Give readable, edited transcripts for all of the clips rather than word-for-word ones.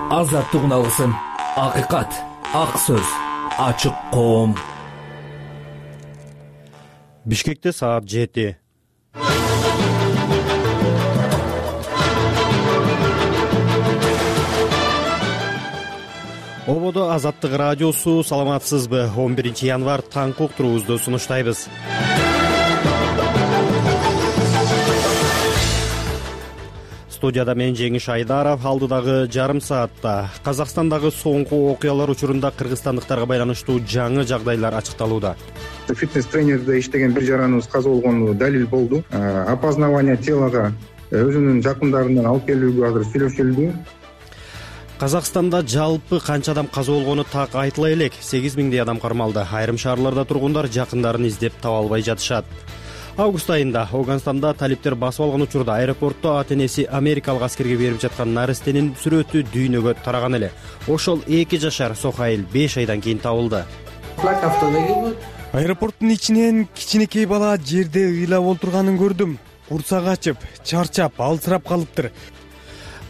Азаттык алгысын, акыйкат, ак сөз, ачык коом. Бишкекте саат 7. Ободо Азаттык радиосу, саламатсызбы? 11 январь таңкы уктуруубузду сунуштайбыз. Студияда мен Жеңиш Айдаров. Алдыдагы жарым саатта Казакстандагы соңку окуялар учурунда кыргызстандыктарга байланыштуу жаңы жагдайлар ачыкталууда. Фитнес-тренерде иштеген бир жараныбыз каза болгону далил болду. Опознавание телога өзүнүн жакындарынан алып келүүгө азыр сүйлөшүлдү. Казакстанда жалпы канча адам каза болгону так айтыла элек. 8000 адам кармалды. Айрым шаарларда тургундар жакындарын издеп таба албай жатышат. Август айында Афганстанда талиптер басып алган учурда аэропортто ата-энеси америкалык аскерге берип жаткан наристенин сүрөтү дүйнөгө тараган эле. Ошол 2 жашар Сохаил 5 айдан кийин табылды. Аэропорттун ичинен кичинекей бала жерде ыйлап олтурганын көрдүм. Курсак ачып, чарчап, алсырап калыптыр.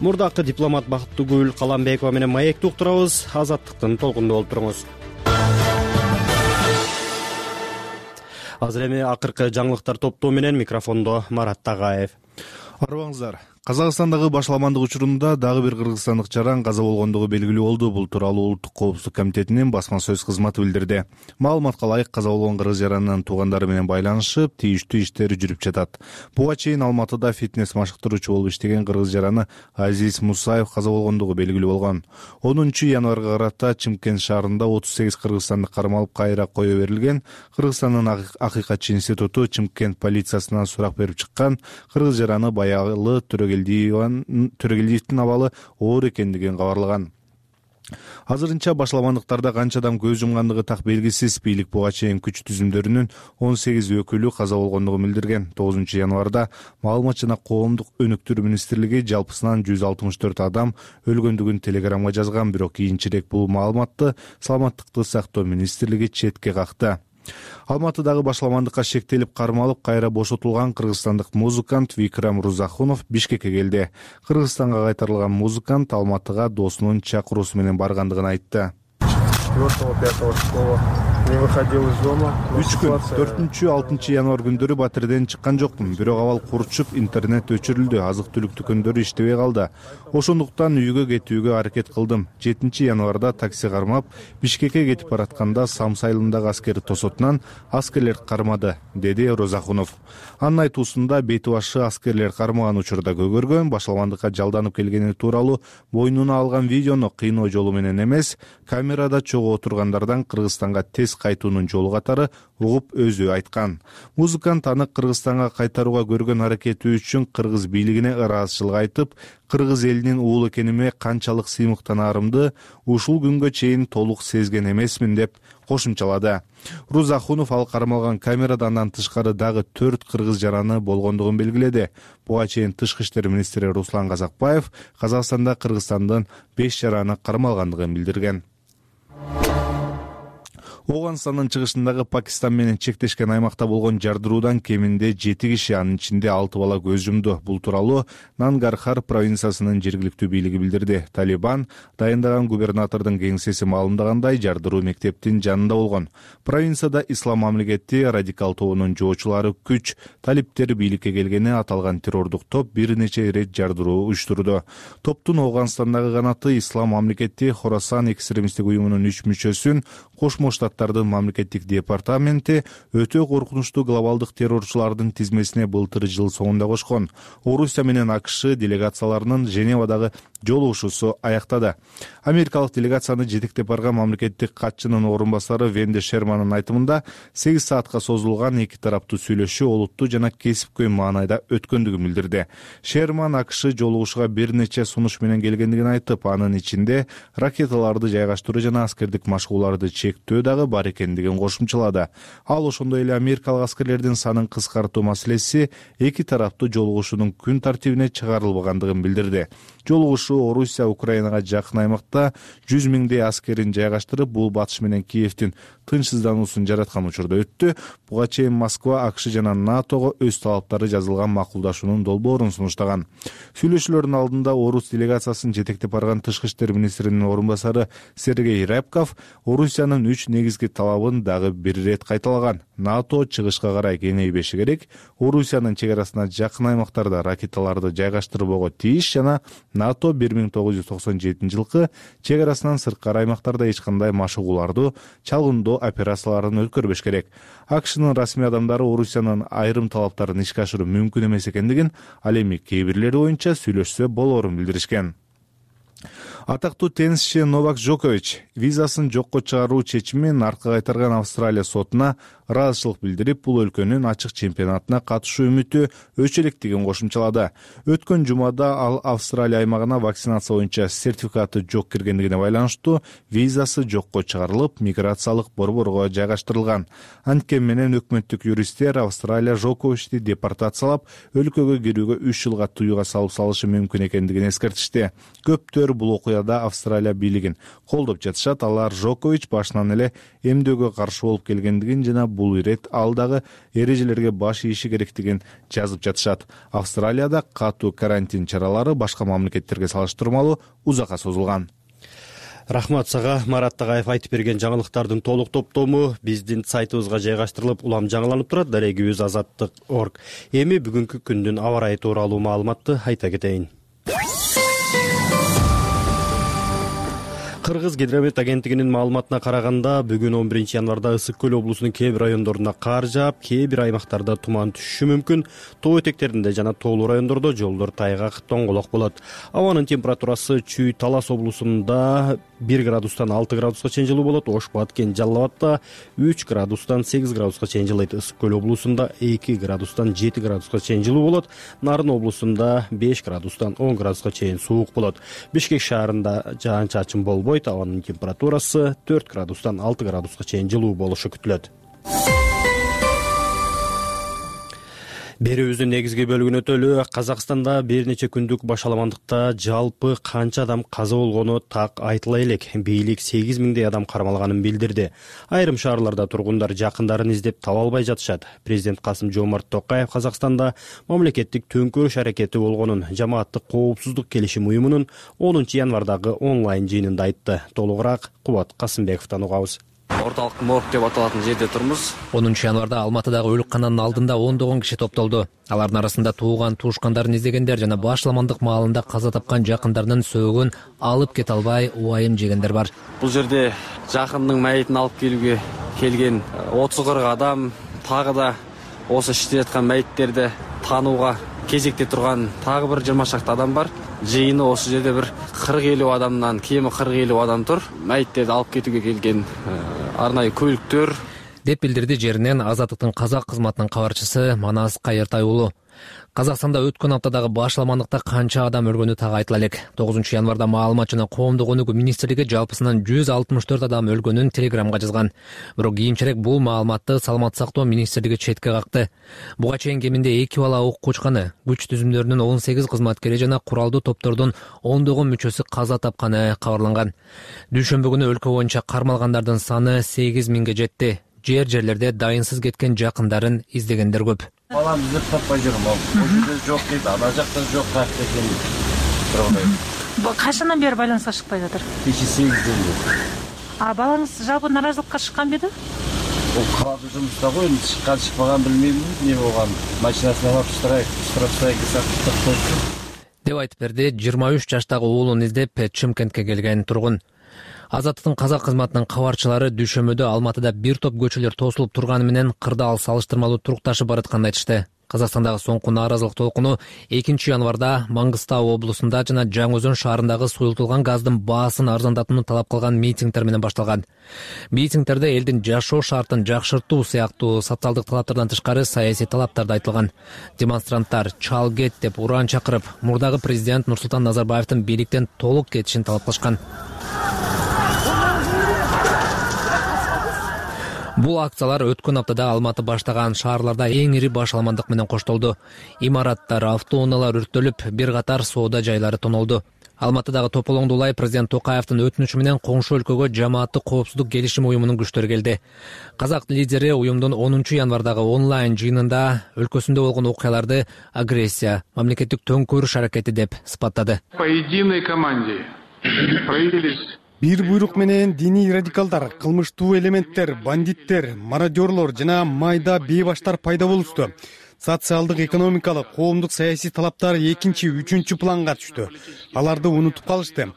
Мурдакы дипломат Бактыгүл Каламбекова менен маекти уктурабыз. Азаттыктын толкунда болуп туруңуз. Азыр эми акыркы жаңылыктар топтоо менен микрофондо Марат Тагаев. Арыбаңыздар. Казакстандагы башаламандык учурунда дагы бир кыргызстандык жаран каза болгондугу белгилүү болду. Бул тууралуу Улуттук коопсуздук комитетинин басма сөз кызматы билдирди. Маалыматка ылайык, каза болгон кыргыз жаранынын туугандары менен байланышып, тийиштүү иштер жүрүп жатат. Буга чейин Алматыда фитнес машыктыруучу болуп иштеген кыргыз жараны Азиз Мусаев каза болгондугу белгилүү болгон. 10 январга карата Чымкент шаарында 38 кыргызстандык кармалып кайра кое берилген. Кыргызстандын акыйкатчы институту Чымкент полициясынан сурак берип чыккан. Кыргыз жараны баягы Төрөгелдиевдин абалы оор экендигин кабарлаган. Азырынча башаламандыктарда канча адам көз жумгандыгы так белгисиз. Бийлик буга чейин күч түзүмдөрүнүн 18 өкүлү каза болгондугун билдирген. 9 январда Маалымат жана коомдук өнүктүрүү министрлиги жалпысынан 164 адам өлгөндүгүн телеграмга жазган, бирок кийинчерээк бул маалыматты Саламаттыкты сактоо министрлиги четке какты. Алматыдагы башаламандыкка шектелип кармалып кайра бошотулган кыргызстандык музыкант Викрам Рузахунов Бишкекке келди. Кыргызстанга кайтарылган музыкант Алматыга досунун чакыруусу менен баргандыгын айтты. 4-5 не выходил из дома. 3 күн 4-6 январь күндөрү батирден чыккан жокмун. Бирок абал курчуп, интернет өчүрүлдү, азык-түлүк дүкөндөрү иштебей калды. Ошондуктан үйгө кетүүгө аракет кылдым. 7 январда такси кармап, Бишкекке кетип баратканда Самсы айылындагы аскер тосотунан аскерлер кармады, деди Розахунов. Анын айтуусунда бети башы аскерлер кармаган учурда көгөргөн, башаламандыкка жалданып келгени тууралуу бойнуна алган видеону кыйноо жолу менен эмес, камерада чогуу отургандардан Кыргызстанга тез кайтуунун жолу катары угуп өзү айткан. Музыкант аны Кыргызстанга кайтарууга көргөн аракети үчүн кыргыз бийлигине ыраазычылык айтып, кыргыз элинин уулу экениме канчалык сыймыктанаарымды ушул күнгө чейин толук сезген эмесмин деп кошумчалады. Рузахунов ал кармалган камерада андан тышкары дагы 4 кыргыз жараны болгондугун белгиледи. Буга чейин Тышкы иштер министри Руслан Казакбаев Казакстанда Кыргызстандын 5 жараны кармалгандыгын билдирген. Афганстандын чыгышындагы Пакистан менен чектешкен аймакта болгон жардыруудан кеминде 7 киши, анын ичинде 6 бала көз жумду. Бул тууралуу Нангархар провинциясынын жергиликтүү бийлиги билдирди. Талибан дайындаган губернатордун кеңсеси маалымдагандай, жардыруу мектептин жанында болгон. Провинцияда Ислам мамлекети радикал тобунун жоочулары күч талиптер бийликке келгени аталган террордук топ бир нече ирет жардыруу уюштурду. Топтун Афганстандагы канаты Ислам мамлекети Хорасан экстремисттик уюмунун 3 мүчөсүн Кошмо Штаттардын мамлекеттик департаменти өтө коркунучтуу глобалдык террорчулардын тизмесине былтыр жыл соңунда кошкон. Орусия менен АКШ делегацияларынын Женевадагы жолугушуусу аяктады. Америкалык делегацияны жетектеп барган мамлекеттик катчынын орун басары Венди Шермандын айтымында 8 саатка созулган 2 тараптуу сүйлөшүү олуттуу жана кесипкөй маанайда өткөндүгүн билдирди. Шерман АКШ жолугушууга бир нече сунуш менен келгендигин айтып, анын ичинде ракеталарды жайгаштыруу жана аскердик машыгууларды чектөө дагы бар экендигин кошумчалады. Ал ошондой эле америкалык аскерлердин санын кыскартуу маселеси 2 тараптуу жолугушуунун күн тартибине чыгарылбагандыгын билдирди. жолугушуу Орусия Украинага жакын аймакта 100 миңдей аскерин жайгаштырып, бул батыш менен Киевдин тынчсыздануусун жараткан учурда өттү. Буга чейин Москва АКШ жана НАТОго өз талаптары жазылган макулдашуунун долбоорун сунуштаган. Сүйлөшүүлөрдүн алдында Орус делегациясын жетектеп барган тышкы иштер министринин орун басары Сергей Рябков Орусиянын 3 негизги талабын дагы бир рет кайталаган. НАТО чыгышка карай кеңейбеши керек, Орусиянын чек арасына жакын аймактарда ракеталарды жайгаштырбоого тийиш жана НАТО 1997 жылкы чек арасынан сырткары аймактарда эч кандай машыгууларды, чалгындоо операцияларын өткөрбөш керек. АКШнын расмий адамдары Орусиянын айрым талаптарын ишке ашыруу мүмкүн эмес экендигин, ал эми кээ бирлери боюнча сүйлөшсө болоорун билдиришкен. Атактуу теннисчи Новак Джокович визасын жокко чыгаруу чечимин артка кайтарган Австралия сотуна ыраазычылык билдирип, бул өлкөнүн ачык чемпионатына катышуу үмүтү өчө электигин кошумчалады. Өткөн жумада ал Австралия аймагына вакцинация боюнча сертификаты жок киргендигине байланыштуу визасы жокко чыгарылып, миграциялык борборго жайгаштырылган. Анткени менен өкмөттүк юристтер Австралия Джоковичти депортациялап, өлкөгө кирүүгө 3 жылга тыюуга салып салышы мүмкүн экендигин эскертишти. Көптөр бул окуяда Австралия бийлигин колдоп жатышат. Алар Джокович башынан эле эмдөөгө каршы болуп келгендигин жана бул ирет ал дагы эрежелерге баш ийиши керектигин жазып жатышат. Австралияда катуу карантин чаралары башка мамлекеттерге салыштырмалуу узакка созулган. Рахмат сага, Марат Тагаев айтып берген жаңылыктардын толук топтому биздин сайтыбызга жайгаштырылып, улам жаңыланып турат. Дарегибиз azаттык.org. Эми бүгүнкү күндүн аба ырайы тууралуу маалыматты айта кетейин. Кыргыз гидромет агенттигинин маалыматына караганда, бүгүн 11 январда Ысык көл облусунун кээ бир райондорунда кар жаап, кээ бир аймактарда туман түшүшү мүмкүн. Тоо этектеринде жана тоолуу райондордо жолдор тайгак, тоңголок болот. Абанын температурасы Чүй Талас облусунда 1 градустан 6 градуска чейин жылуу болот. Ош, Баткен, Жалал Абадта 3 градустан 8 градуска чейин жылыйт. Ысык көл облусунда 2 градустан 7 градуска чейин жылуу болот. Нарын облусунда 5 градустан 10 градуска чейин суук болот. Бишкек шаарында жаан-чачын болбойт. Абанын температурасы 4 градустан 6 градуска чейин жылуу болушу күтүлөт. Берүүбүздүн негизги бөлүгүнө өтөлү. Казакстанда бир нече күндүк башаламандыкта жалпы канча адам каза болгону так айтыла элек. Бийлик 8 миңдей адам кармалганын билдирди. Айрым шаарларда тургундар жакындарын издеп таба албай жатышат. Президент Касым-Жомарт Токаев Казакстанда мамлекеттик төңкөрүш аракети болгонун жамааттык коопсуздук келишим уюмунун 10 январдагы онлайн жыйынында айтты. Толугураак Кубат Касымбековдон угабыз. Орталык морг деп аталатын жерде турмуз. 10 январда Алматыдагы өлүккананын алдында ондогон киши топтолду. Алардын арасында тууган туушкандарын издегендер жана башламандык маалында каза тапкан жакындарынын сөөгүн алып кете албай убайым жегендер бар. Бул жерде жакындын майытын алып келүүгө келген 30-40 адам, тагы да осы иштеп аткан майыттерди таанууга кезекте турган тагы бир 20 шакты адам бар. Жыйыны осы жерде бир 40-50 адамдан, кеми 40-50 адам тур. Майыттерди алып кетүүгө келген арнайы көлүктөр деп билдирди жеринен Азаттыктын казак кызматынын кабарчысы Манас Кайыртай уулу. Казакстанда өткөн аптадагы башламандыкта канча адам өлгөнү так айтыла элек. 9 январда маалымат жана коомдук өнүгүү министрлиги жалпысынан 164 адам өлгөнүн телеграмга жазган. Бирок кийинчерээк бул маалыматты Саламаттык сактоо министрлиги четке какты. Буга чейин кеминде 2 бала ок кучканы, күч түзүмдөрүнүн 18 кызматкери жана куралдуу топтордун ондогон мүчөсү каза тапканы кабарланган. Дүйшөмбү күнү өлкө боюнча кармалгандардын саны 8 миңге жетти. Жерлерде дайынсыз кеткен жакындарын издегендер көп. Балам издеп таппай жүрүм. Бул жерде жок дейт, ана жакта жок экен. Качандан бери байланыска чыкпай жатыр? Кече 8ден бери. Балаңыз жалпы наразылыкка чыккан беди? Ол калады жумушта го, эми чыккан чыкпаган билмейм, эмне болгон. Машинасына алып штрафстрайк деп айтып берди 23 жаштагы уулун издеп Чымкентке келген тургун. Азаттыктын казак кызматынын кабарчылары дүйшөмбүдө Алматыда бир топ көчөлөр тосулуп турганы менен кырдаал салыштырмалуу турукташып баратканын айтышты. Казакстандагы соңку нааразылык толкуну 2 январда Маңгыстау облусунда жана Жаңы Өзөн шаарындагы суюлтулган газдын баасын арзандатууну талап кылган митингдер менен башталган. Митингдерде элдин жашоо шартын жакшыртуу сыяктуу социалдык талаптардан тышкары саясий талаптар да айтылган. Демонстранттар чал кет деп уран чакырып, мурдагы президент Нурсултан Назарбаевдин бийликтен толук кетишин талап кылышкан. Бул акциялар өткөн аптада Алматы баштаган шаарларда эң ири башаламандык менен коштолду. Имараттар, автоунаалар өрттөлүп, бир катар соода жайлары тонолду. Алматыдагы Тополоңду улай президент Токаевдин өтүнүчү менен коңшу өлкөгө жамааттык коопсуздук келишим уюмунун күчтөрү келди. Казак лидери уюмдун 10 январдагы онлайн жыйынында өлкөсүндө болгон окуяларды агрессия, мамлекеттик төңкөрүш аракети деп сыпаттады. По единой команде проявились бир буйрук менен диний радикалдар, кылмыштуу элементтер, бандиттер, мародерлор жана майда бейбаштар пайда болушту. Социалдык, экономикалык, коомдук саясий талаптар экинчи, үчүнчү планга түштү. Аларды унутуп калышты.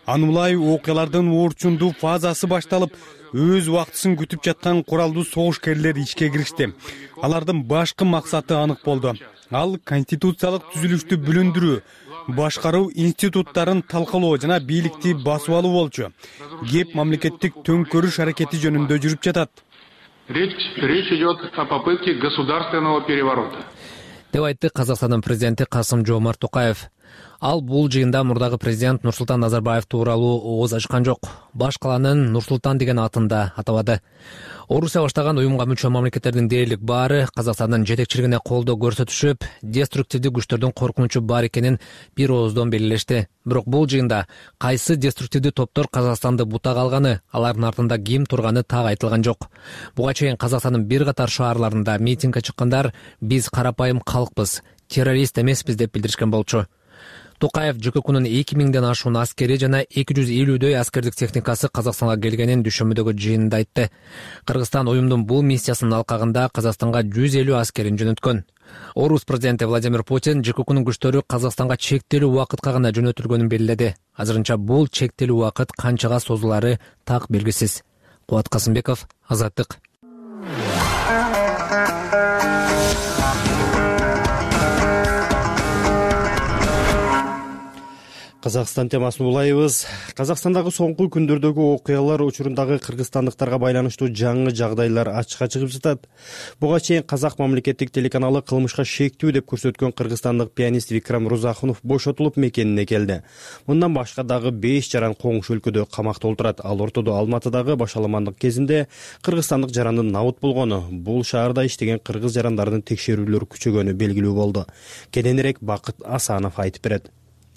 Аны улай окуялардын орчундуу фазасы башталып, өз убактысын күтүп жаткан куралдуу согушкерлер ишке киришти. Алардын башкы максаты анык болду. Ал конституциялык түзүлүштү бүлүндүрүү, башкаруу институттарын талкалоо жана бийликти басып алуу болчу. Кеп мамлекеттик төңкөрүш аракети жөнүндө жүрүп жатат. Речь идет о попытке государственного переворота. Деп айтты Казакстандын президенти Касым-Жомарт Токаев. Ал бул жыйында мурдагы президент Нурсултан Назарбаев тууралуу ооз ачкан жок. Баш каланын Нурсултан деген атын да атабады. Орусия баштаган уюмга мүчө мамлекеттердин дээрлик баары Казакстандын жетекчилигине колдоо көрсөтүшүп, деструктивдүү күчтөрдүн коркунучу бар экенин бир ооздон белгилешти. Бирок бул жыйында кайсы деструктивдүү топтор Казакстанды бутага алганы, алардын артында ким турганы так айтылган жок. Буга чейин Казакстандын бир катар шаарларында митингге чыккандар биз карапайым калкпыз, террорист эмеспиз деп билдиришкен болчу. Токаев ЖККнун 2000ден ашуун аскери жана 250дөй аскердик техникасы Казакстанга келгенин дүшөмүдөгү жыйынында айтты. Кыргызстан уюмдун бул миссиясынын алкагында Казакстанга 150 аскерин жөнөткөн. Орус президенти Владимир Путин ЖККнун күчтөрү Казакстанга чектелүү убакытка гана жөнөтүлгөнүн белгиледи. Азырынча бул чектелүү убакыт канчага созулары так белгисиз. Кубат Касымбеков, Азаттык. Казакстан темасын улайбыз. Казакстандагы соңку күндөрдөгү окуялар учурундагы кыргызстандыктарга байланыштуу жаңы жагдайлар ачыкка чыгып жатат. Буга чейин Казак мамлекеттик телеканалы кылмышка шектүү деп көрсөткөн кыргызстандык пианист Викрам Рузахунов бошотулуп мекенине келди. Мындан башка дагы 5 жаран коңшу өлкөдө камакта отурат. Ал ортодо Алматыдагы башаламандык кезинде кыргызстандык жарандын набыт болгону, бул шаарда иштеген кыргыз жарандардын текшерүүлөрү күчөгөнү белгилүү болду. Кененирээк Бакыт Асанов айтып берет.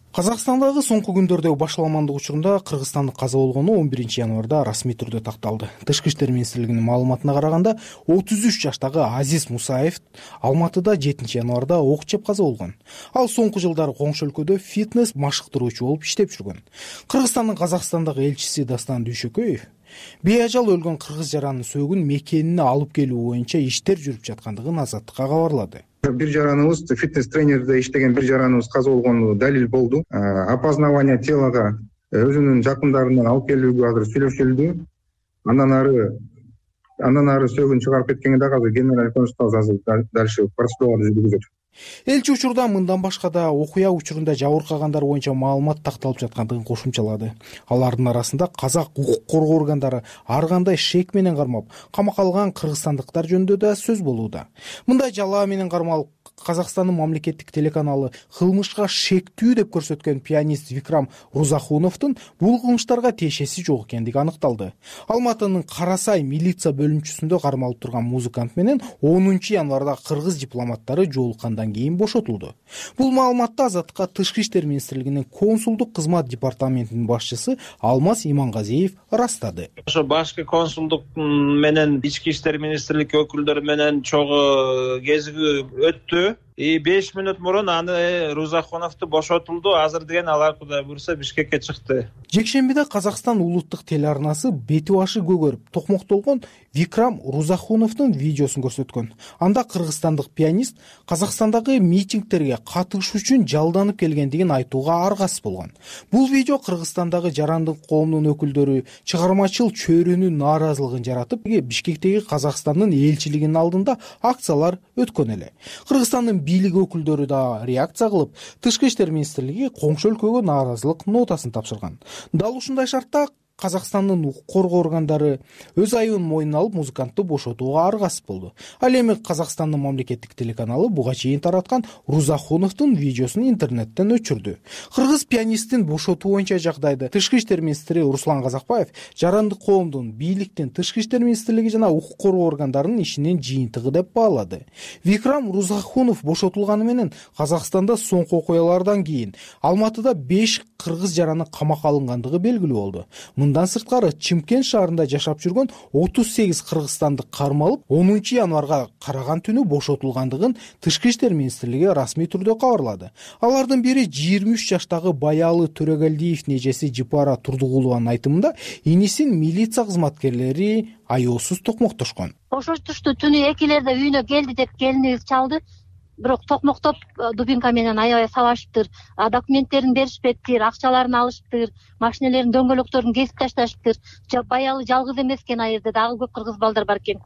Казакстандагы соңку күндөрдөгү башаламандык учурунда кыргызстандык каза болгону 11 январда расмий түрдө такталды. Тышкы иштер министрлигинин маалыматына караганда 33 жаштагы Азиз Мусаев Алматыда 7 январда ок жеп каза болгон. Ал соңку жылдары коңшу өлкөдө фитнес машыктыруучу болуп иштеп жүргөн. Кыргызстандын Казакстандагы элчиси Дастан Дүйшөкөев бейажал өлгөн кыргыз жаранын сөөгүн мекенине алып келүү боюнча иштер жүрүп жаткандыгын Азаттыкка кабарлады. Бир жараныбыз, фитнес тренерде иштеген бир жараныбыз каза болгону далил болду. Опознавание телога өзүнүн жакындарынан алып келүүгө азыр сүйлөшүлдү. Андан ары сөөгүн чыгарып кеткенге дагы азыр генеральный консулдук азыр дальше процедураларды жүргүзөт. Элчи учурда мындан башка да окуя учурунда жабыркагандар боюнча маалымат такталып жаткандыгын кошумчалады. Алардын арасында казак укук коргоо органдары ар кандай шек менен кармап, камакка алган кыргызстандыктар жөнүндө да сөз болууда. Мындай жалаа менен кармалып Казакстандын мамлекеттик телеканалы кылмышка шектүү деп көрсөткөн пианист Викрам Рузахуновдун бул кылмыштарга тиешеси жок экендиги аныкталды. Алматынын Карасай милиция бөлүнчүсүндө кармалып турган музыкант менен 10 январда кыргыз дипломаттары жолуккандан кийин бошотулду. Бул маалыматты Азаттыкка Тышкы иштер министрлигинин консулдук кызмат департаментинин башчысы Алмаз Имангазиев растады. Ошо башкы консулдук менен ички иштер министрлиги өкүлдөрү менен чогуу кезигүү өттү. 5 мүнөт мурун аны Рузахуновду бошотулду. Азыр деген алар Кудай буйруса Бишкекке чыкты. Жекшембиде Казакстан улуттук телеарнасы бети башы көгөрүп, токмоктолгон Викрам Рузахуновдун видеосун көрсөткөн. Анда кыргызстандык пианист Казакстандагы митингтерге катышуу үчүн жалданып келгендигин айтууга аргасыз болгон. Бул видео Кыргызстандагы жарандык коомдун өкүлдөрү чыгармачыл чөйрөнүн нааразылыгын жаратып, Бишкектеги Казакстандын элчилигинин алдында акциялар өткөн эле. Кыргызстандын бийлик өкүлдөрү да реакция кылып, Тышкы иштер министрлиги коңшу өлкөгө нааразылык нотасын тапшырган. Дал ушундай шартта Казакстандын укук коргоо органдары өз айыбын мойнуна алып музыкантты бошотууга аргасыз болду. Ал эми Казакстандын мамлекеттик телеканалы буга чейин тараткан Рузахуновдун видеосун интернеттен өчүрдү. Кыргыз пианисттин бошотуу боюнча жагдайды Тышкы иштер министри Руслан Казакбаев жарандык коомдун, бийликтин, Тышкы иштер министрлиги жана укук коргоо органдарынын ишинин жыйынтыгы деп баалады. Викрам Рузахунов бошотулганы менен Казакстанда соңку окуялардан кийин Алматыда 5 кыргыз жаранын камакка алынгандыгы белгилүү болду. Мындан сырткары Чымкент шаарында жашап жүргөн 38 кыргызстандык кармалып 10 январга караган түнү бошотулгандыгын Тышкы иштер министрлиги расмий түрдө кабарлады. Алардын бири 23 жаштагы Баялы Төрөгелдиевдин эжеси Жипара Турдугулованын айтымында инисин милиция кызматкерлери аеосуз токмоктошкон. Бошотушту түнү 2-лерде үйүнө келди деп келинибиз чалды. Бирок токмоктоп дубинка менен аябай сабашыптыр. Документтерин беришпептир, акчаларын алышыптыр, машинелердин дөңгөлөктөрүн кесип ташташыптыр. Баялы жалгыз эмес экен ал жерде, дагы көп кыргыз балдар бар экен.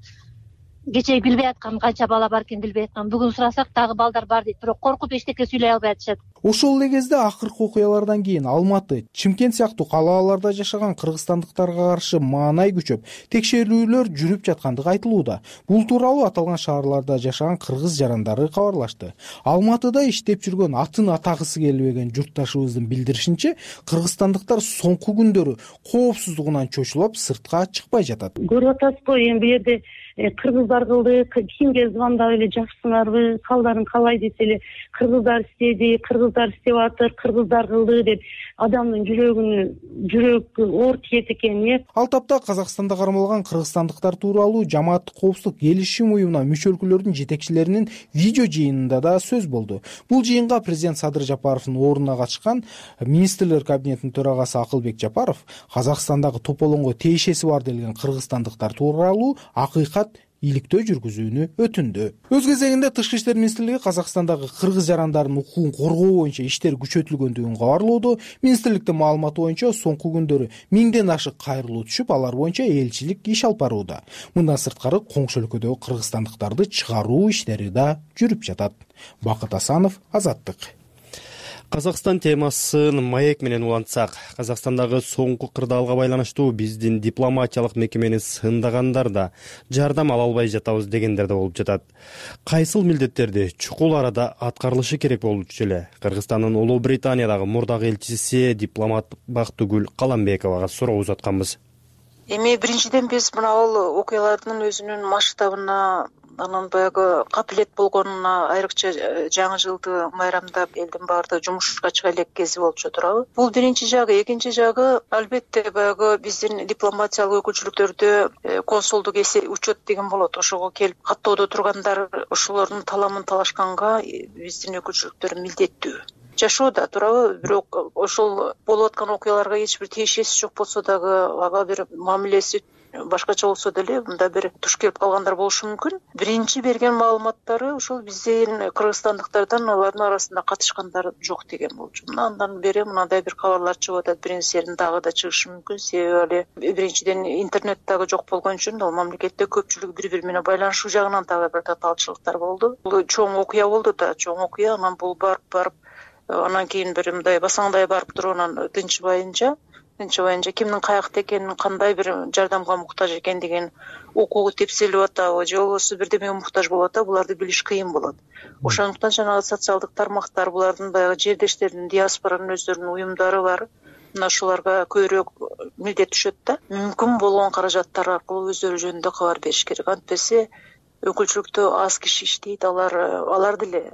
Кечээ билбей аткан канча бала бар экен билбей аткан. Бүгүн сурасак дагы балдар бар дейт, бирок коркуп эчтеке сүйлөй албай атышат. Ошол эле кезде акыркы окуялардан кийин Алматы, Чымкент сыяктуу калаларда жашаган кыргызстандыктарга каршы маанай күчөп, текшерүүлөр жүрүп жаткандыгы айтылууда. Бул тууралуу аталган шаарларда жашаган кыргыз жарандары кабарлашты. Алматыда иштеп жүргөн атын атагысы келбеген журтташыбыздын билдиришинче, кыргызстандыктар соңку күндөрү коопсуздугунан чочулуп сыртка чыкпай жатат. Көрүп атасызбы, эми бу жерде кыргыздар кылды, кимге звондап эле жакшысыңарбы, калдарын калай десе эле кыргыздар истеди, кыргыздар истеп атыр, кыргыздар кылды деп адамдын жүрөк оор тиет экен. Ал тапта Казакстанда кармалган кыргызстандыктар тууралуу Жамааттык коопсуздук келишим уюмуна мүчө өлкөлөрдүн жетекчилеринин видео жыйынында да сөз болду. Бул жыйынга президент Садыр Жапаровдун ордуна катышкан министрлер кабинетинин төрагасы Акылбек Жапаров Казакстандагы тополоңго тиешеси бар делген кыргызстандыктар тууралуу акыйкат иликтөө жүргүзүүнү өтүндү. Өз кезегинде Тышкы иштер министрлиги Казакстандагы кыргыз жарандардын укугун коргоо боюнча иштер күчөтүлгөндүгүн кабарлоодо. Министрликтин маалыматы боюнча соңку күндөрү 1000ден ашык кайрылуу түшүп, алар боюнча элчилик иш алып барууда. Мындан сырткары коңшу өлкөдөгү кыргызстандыктарды чыгаруу иштери да жүрүп жатат. Бакыт Асанов, Азаттык. Казакстан темасын маек менен улантсак, Казакстандагы соңку кырдаалга байланыштуу биздин дипломатиялык мекемени сындагандар да жардам ала албай жатабыз дегендер да болуп жатат. Кайсыл милдеттерди чукул арада аткарылышы керек болчу эле? Кыргызстандын Улуу Британиядагы мурдагы элчиси дипломат Бактыгүл Каламбековага суроо узатканбыз. Эми биринчиден биз мына бул окуялардын өзүнүн масштабына, анан баягы капилет болгонуна айрыкча жаңы жылды майрамдап элдин баардыгы жумушка чыга элек кези болчу турабы. Бул биринчи жагы. Экинчи жагы, албетте баягы биздин дипломатиялык өкүлчүлүктөрдө консулдук учет деген болот. Ошого келип каттоодо тургандар ошолордун таламын талашканга биздин өкүлчүлүктөр милдеттүү жашоодо турабы. Бирок ошол болуп аткан окуяларга эч бир тиешеси жок болсо дагы, ага бир мамилеси башкача болсо деле мында бир туш келип калгандар болушу мүмкүн. Биринчи берген маалыматтары ошол биздин кыргызстандыктардан алардын арасында катышкандар жок деген болчу. Андан бери мындай бир кабарлар чыгып атат. Биринсерин дагы да чыгышы мүмкүн. Себеби биринчиден интернет дагы жок болгон үчүн ал мамлекетте көпчүлүк бири-бири менен байланышуу жагынан дагы бир татаалчылыктар болду. Бул чоң окуя болду да, чоң окуя. Анан бул барып анан кийин бир мындай басаңдай барып туруп анан тынчыбайынча кимдин каякта экенин, кандай бир жардамга муктаж экендигин, укугу тепселип атабы же болбосо бирдемеге муктаж болуп атабы, буларды билиш кыйын болот. Ошондуктан жанагы социалдык тармактар, булардын баягы жердештеринин, диаспоранын өздөрүнүн уюмдары бар. Мына ошолорго көбүрөөк милдет түшөт да. Мүмкүн болгон каражаттар аркылуу өздөрү жөнүндө кабар бериш керек. Антпесе өкүлчүлүктө аз киши иштейт, алар деле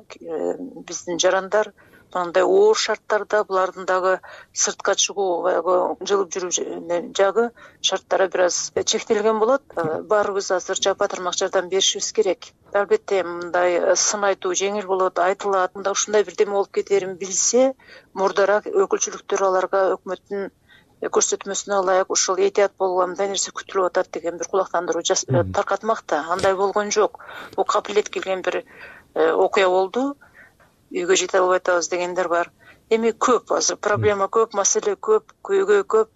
биздин жарандар мындай оор шарттарда, булардын дагы сыртка чыгуу, баягы жылып жүрүү жагы шарттары бир аз чектелген болот. Баарыбыз азыр жапа тармак жардам беришибиз керек. Албетте мындай сын айтуу жеңил болот, айтылат. Мында ушундай бирдеме болуп кетерин билсе, мурдараак өкүлчүлүктөр аларга өкмөттүн көрсөтмөсүнө ылайык ушул этият болгула мындай нерсе күтүлүп атат деген бир кулактандыруу таркатмакта. Андай болгон жок. Бул капилет келген бир окуя болду. Үйгө жете албай атабыз дегендер бар. Эми көп азыр проблема көп, маселе көп, көйгөй көп.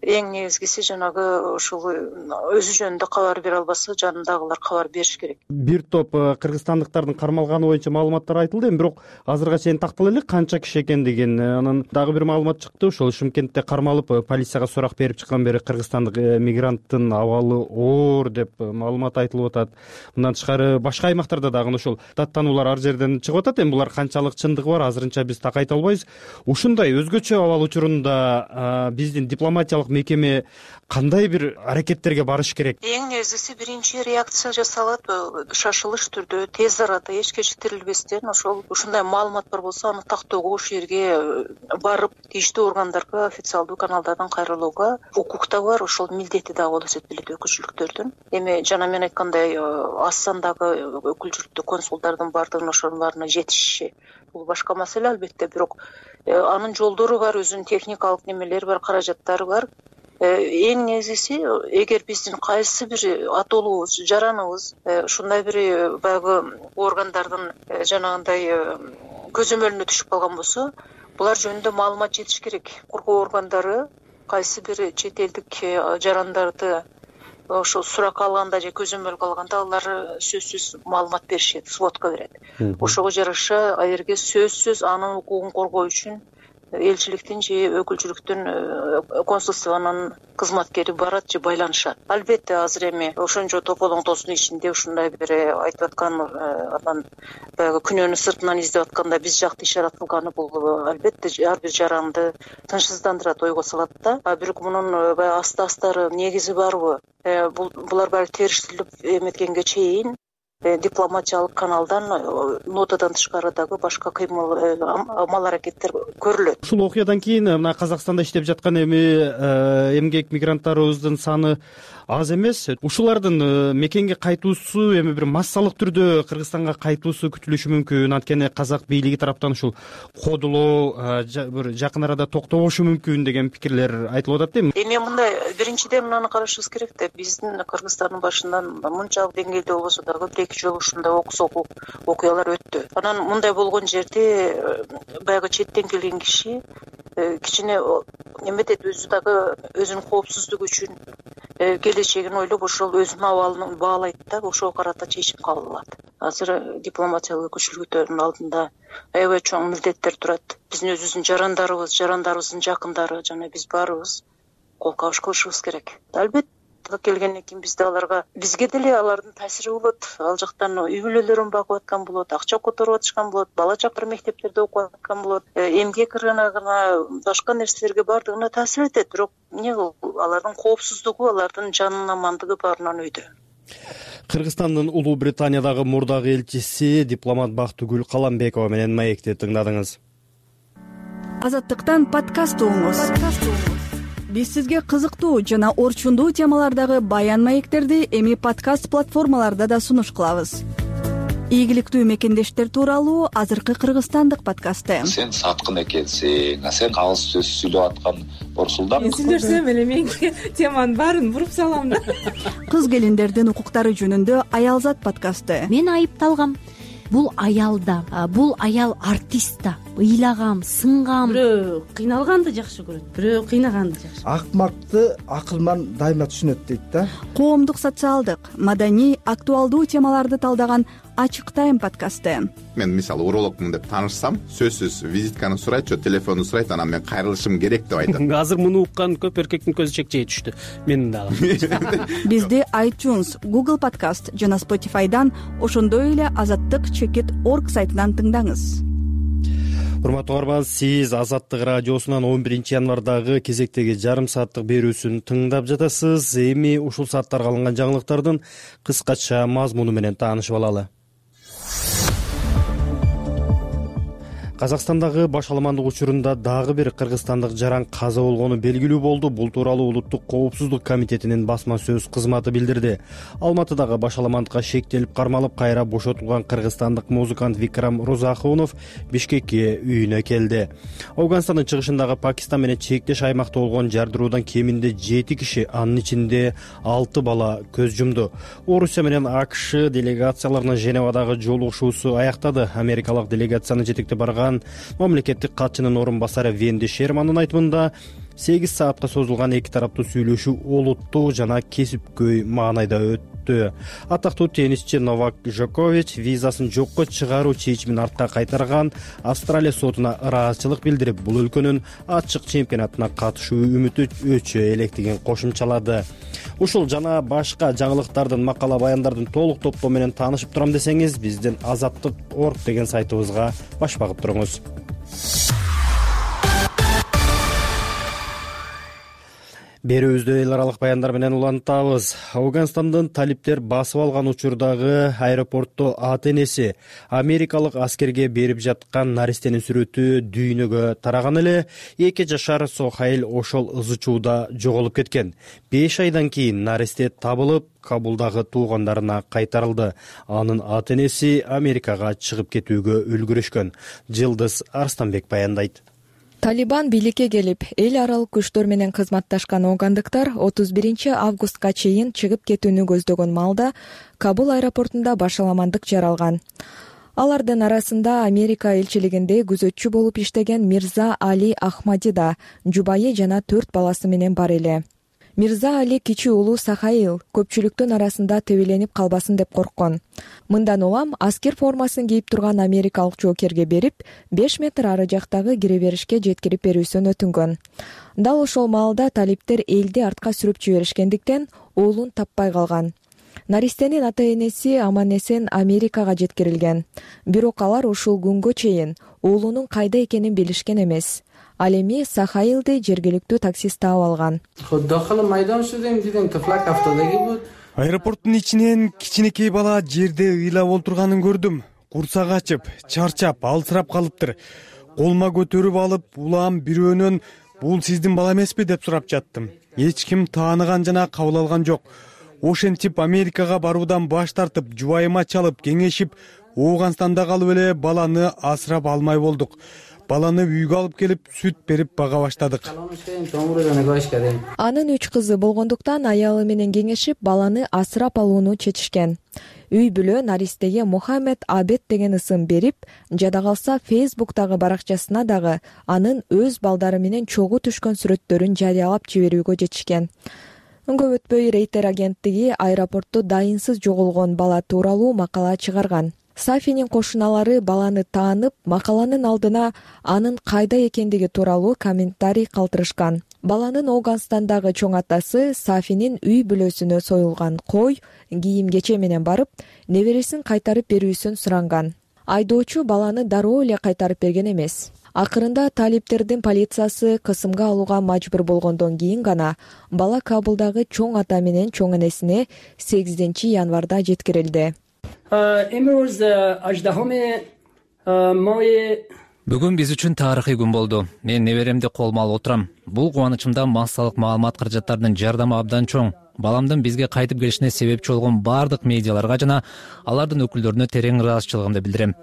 эң негизгиси жанагы ушул өзү жөнүндө кабар бере албаса жанындагылар кабар бериш керек. Бир топ кыргызстандыктардын кармалганы боюнча маалыматтар айтылды. Эми бирок азыркыга чейин тактала элек канча киши экендигин. Анан дагы бир маалымат чыкты. Ошол Шымкентте кармалып полицияга сурак берип чыккан бери кыргызстандык мигранттын абалы оор деп маалымат айтылып атат. Мындан тышкары башка аймактарда дагы ошол даттануулар ар жерден чыгып атат. Эми булар канчалык чындыгы бар азырынча биз так айта албайбыз. Ушундай өзгөчө абал учурунда биздин дипломатиялык мекеме кандай бир аракеттерге барыш керек? Эң негизгиси биринчи реакция жасалат, шашылыш түрдө, тез арада, эч кечиктирилбестен ушундай маалымат бар болсо аны тактоого, ошол жерге барып тийиштүү органдарга, официалдуу каналдардан кайрылууга укукта бар, ошол милдети дагы болуп эсептелет өкүлчүлүктөрдүн. Эми жана мен айткандай аз сандагы өкүлчүлүктүү консулдардын баардыгынын ошонун баарына жетишиши бул башка маселе албетте, бирок анын жолдору бар, өзүнүн техникалык немелери бар, каражаттары бар. Эң негизгиси, эгер биздин кайсы бир атоолубуз, жараныбыз ушундай бир баягы органдардын жанагындай көзөмөлүнө түшүп калган болсо, булар жөнүндө маалымат жетиш керек. Коргоо органдары кайсы бир чет элдик жарандарды ошол суракка алганда же көзөмөлгө алганда алар сөзсүз маалымат беришет, сводка берет. Ошого жараша аерге сөзсүз анын укугун коргоо үчүн элчиликтин же өкүлчүлүктүн консулствонун кызматкери барат же байланышат. Албетте азыр эми ошончо тополоңтосунун ичинде ушундай бир айтып аткан анан баягы күнөөнү сыртынан издеп атканда биз жакты ишарат кылганы бул албетте ар бир жаранды тынчсыздандырат, ойго салат да. Бирок мунун баягы аста-астары негизи барбы? Булар баары териштирилип эметкенге чейин дипломатиялык каналдан, нотадан тышкары дагы башка кыймыл, амал аракеттер көрүлөт. Ушул окуядан кийин мына Казакстанда иштеп жаткан эмгек мигранттарыбыздын саны аз эмес. Ушулардын мекенге кайтуусу эми бир массалык түрдө Кыргызстанга кайтуусу күтүлүшү мүмкүн. Анткени казак бийлиги тараптан ушул кодулоо бир жакын арада токтобошу мүмкүн деген пикирлер айтылып атат. Эми мындай, биринчиден мынаны карашыбыз керек да, биздин Кыргызстандын башынан мынчалык деңгээлде болбосо дагы бир-эки жолу ушундай окуялар өттү. Анан мындай болгон жерде баягы четтен келген киши кичине эметет, өзү дагы өзүнүн коопсуздугу үчүн келечегин ойлоп ошол өзүнүн абалын баалайт да, ошого карата чечим кабыл алат. Азыр дипломатиялык өкүлчүлүктөрдүн алдында аябай чоң милдеттер турат. Биздин өзүбүздүн жарандарыбыздын жакындары жана биз баарыбыз кол кабыш кылышыбыз керек. Албетте келгенден кийин бизге деле алардын таасири болот. Ал жактан үй бүлөлөрүн багып аткан болот, акча которуп атышкан болот, бала чакыр мектептерде окуп аткан болот, эмгек рыногуна, башка нерселерге баардыгына таасир этет. Бирок эмне алардын коопсуздугу, алардын жанынын амандыгы баарынан өйдө. Кыргызстандын Улуу Британиядагы мурдагы элчиси дипломат Бактыгүл Каламбекова менен маекти тыңдадыңыз. Азаттыктан подкаст угуңуз. Биз сизге кызыктуу жана орчундуу темалардагы баян маектерди эми подкаст платформаларда да сунуш кылабыз. Ийгиликтүү мекендештер тууралуу азыркы кыргызстандык подкасты. Сен саткын экенсиң, сен кагыз сөз сүйлөп аткан борсулдам. Мен сүйлөсөм эле менин теманын баарын буруп салам да. Кыз келиндердин укуктары жөнүндө Аялзат подкасты. Мен айыпталгам. Бул аял да, бул аял артист да. Ыйлагам, сынгам. Бирөө кыйналганды жакшы көрөт, бирөө кыйнаганды жакшы. Акмакты акылман дайыма түшүнөт дейт да. Коомдук, социалдык, маданий, актуалдуу темаларды талдаган Ачык тайм подкасты. Мен мисалы урологмун деп таанышсам, сөзсүз визитканы сурайт, телефонду сурайт, анан мен кайрылышым керек деп айтат. Азыр муну уккан көп эркектин көзү чекчей түштү. Менин дагы. Бизди iTunes, Google Podcast жана Spotify'дан, ошондой эле azattyk.org сайтынан тыңдаңыз. Урматтуу угарман, сиз Азаттык радиосунан 11 январдагы кезектеги жарым сааттык берүүсүн тыңдап жатасыз. Эми ушул сааттарга алынган жаңылыктардын кыскача мазмуну менен таанышып алалы. Казакстандагы башаламандык учурунда дагы бир кыргызстандык жаран каза болгону белгилүү болду. Бул тууралуу Улуттук коопсуздук комитетинин басма сөз кызматы билдирди. Алматыдагы башаламандыкка шектелип кармалып кайра бошотулган кыргызстандык музыкант Викрам Розахунов Бишкекке үйүнө келди. Афганстандын чыгышындагы Пакистан менен чектеш аймакта болгон жардыруудан кеминде 7 киши, анын ичинде 6 бала көз жумду. Орусия менен АКШ делегацияларынын Женевадагы жолугушуусу аяктады. Америкалык делегацияны жетектеп барган мамлекеттик катчынын орун басары Венди Шермандын айтымында 8 саатка созулган эки тараптуу сүйлөшүү олуттуу жана кесипкөй маанайда өттү. Атактуу теннисчи Новак Джокович визасын жокко чыгаруу чечимин артка кайтарган. Австралия сотуна ыраазычылык билдирип, бул өлкөнүн ачык чемпионатына катышуу үмүтү өчө электигин кошумчалады. Ушул жана башка жаңылыктардын, макала баяндардын толук топтому менен таанышып турам десеңиз, биздин azatlyk.org деген сайтыбызга баш багып туруңуз. Берүүбүздү эл аралык баяндар менен улантабыз. Афганстандын талиптер басып алган учурдагы аэропортто ата-энеси америкалык аскерге берип жаткан наристенин сүрөтү дүйнөгө тараган эле 2 жашар Сохаил ошол ызычууда жоголуп кеткен. 5 айдан кийин наристе табылып, Кабулдагы туугандарына кайтарылды. Анын ата-энеси Америкага чыгып кетүүгө үлгүрүшкөн. Жылдыз Арстанбек баяндайт. Талибан бийликке келип, эл аралык күчтөр менен кызматташкан афгандыктар 31 августка чейин чыгып кетүүнү көздөгөн маалда Кабул аэропортунда башаламандык жаралган. Алардын арасында Америка элчилигинде күзөтчү болуп иштеген Мирза Али Ахмади да, жубайы жана 4 баласы менен бар эле. Мирза Али кичи уулу Сахаил көпчүлүктүн арасында тебеленип калбасын деп корккон. Мындан улам аскер формасын кийип турган америкалык жоокерге берип, 5 метр ары жактагы кире беришке жеткирип берүүсүн өтүнгөн. Дал ошол маалда талиптер элди артка сүрүп жиберишкендиктен уулун таппай калган. Наристенин ата-энеси аман-эсен Америкага жеткирилген. Бирок алар ушул күнгө чейин уулунун кайда экенин билишкен эмес. Ал эми Сахаилди жергиликтүү таксист таап алган. Аэропорттун ичинен кичинекей бала жерде ыйлап олтурганын көрдүм. Курсак ачып, чарчап, алсырап калыптыр. Колума көтөрүп алып, улам бирөөнөн бул сиздин бала эмеспи деп сурап жаттым. Эч ким тааныган жана кабыл алган жок. Ошентип Америкага баруудан баш тартып, жубайыма чалып, кеңешип, Афганстанда калып эле баланы асырап алмай болдук. Баланы үйгө алып келип, сүт берип бага баштадык. Анын 3 кызы болгондуктан аялы менен кеңешип, баланы асырап алууну чечишкен. Үй бүлө наристеге Мухаммед Абед деген ысым берип, жада калса Facebook'тагы баракчасына дагы анын өз балдары менен чогуу түшкөн сүрөттөрүн жарыялап жиберүүгө жетишкен. Көп өтпөй Рейтер агенттиги аэропортто дайынсыз жоголгон бала тууралуу макала чыгарган. Сафинин кошуналары баланы таанып, макаланын алдына анын кайда экендиги тууралуу комментарий калтырышкан. Баланын Афганстандагы чоң атасы Сафинин үй бүлөсүнө союлган кой, кийим-кече менен барып, небересин кайтарып берүүсүн суранган. Айдоочу баланы дароо эле кайтарып берген эмес. Акырында талиптердин полициясы кысымга алууга мажбур болгондон кийин гана бала Кабулдагы чоң ата менен чоң энесине 8 январда жеткирилди. Бүгүн биз үчүн тарыхый күн болду. Мен неберемди колума алып отурам. Бул кубанычымда массалык маалымат каражаттарынын жардамы абдан чоң. Баламдын бизге кайтып келишине себепчи болгон бардык медиаларга жана алардын өкүлдөрүнө терең ыраазычылыгымды билдирем.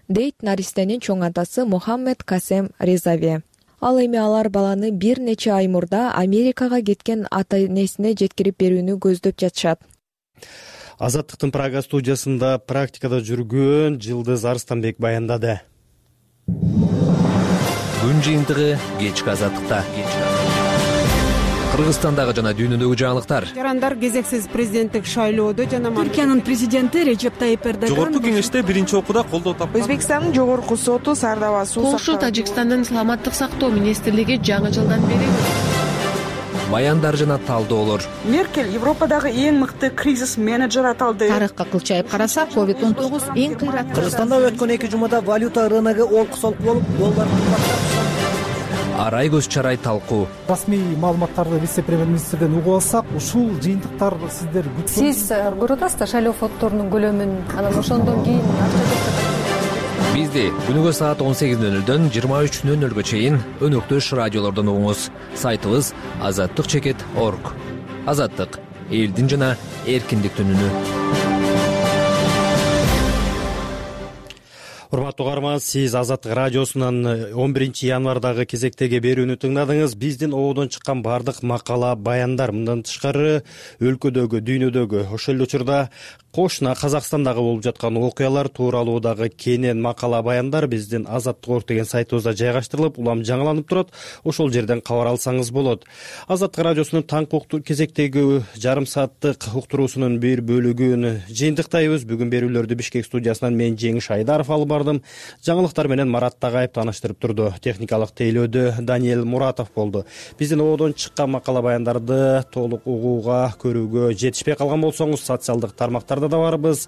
Дейт наристенин чоң атасы Мухаммед Касем Резави. Ал эми алар баланы бир нече ай мурда Америкага кеткен ата-энесине жеткирип берүүнү көздөп жатышат. Азаттыктын Прага студиясында практикада жүргөн Жылдыз Арстанбек баяндады. Күн жыйынтыгы кечки Азаттыкта. Кыргызстандагы жана дүйнөдөгү жаңылыктар. Жарандар кезексиз президенттик шайлоодо жана Түркиянын президенти Режеп Тайип Эрдоган жогорку кеңеште биринчи окууда колдоо тапкан. Өзбекстандын жогорку соту Сардава суу Польша Тажикстандын саламаттык сактоо министрлиги жаңы жылдан бери баяндар жана талдоолор. Меркель Европадагы эң мыкты кризис менеджер аталды. Тарыхка кылчайып карасак, COVID-19 эң кыйраттуу. Кыргызстанда өткөн 2 жумада валюта рыногу олку-солку болуп, доллар Арай көз чарай талкуу. Расмий маалыматтарды вице-премьер-министрден угуп алсак, ушул жыйынтыктар сиздер Сиз көрүп атасыздар шайлоо фонддорунун көлөмүн, анан ошондон кийин Бизди күнүгө саат 18:00дөн 23:00га чейин өнөктөш радиолордон угуңуз. Сайтыбыз azatlyk.org. Азаттык элдин жана эркиндиктин үнү. Урматтуу угарман, сиз Азаттык радиосунан 11 январдагы кезектеги берүүнү тыңдадыңыз. Биздин ободон чыккан бардык макала, баяндар, мындан тышкары өлкөдөгү, дүйнөдөгү, ошол эле учурда Кошуна Казакстандагы болуп жаткан окуялар тууралуу дагы кенен макала баяндар биздин Азаттык орг деген сайтыбызда жайгаштырылып, улам жаңыланып турат. Ошол жерден кабар алсаңыз болот. Азаттык радиосунун таңкы кезектеги жарым сааттык уктуруусунун бир бөлүгүн жыйынтыктайбыз. Бүгүн берүүлөрдү Бишкек студиясынан мен Жеңиш Айдаров алып бардым. Жаңылыктар менен Марат Тагаев тааныштырып турду. Техникалык тейлөөдө Даниэл Муратов болду. Биздин ободон чыккан макала баяндарды толук угууга, көрүүгө жетишпей калган болсоңуз, социалдык тармактарда да барбыз.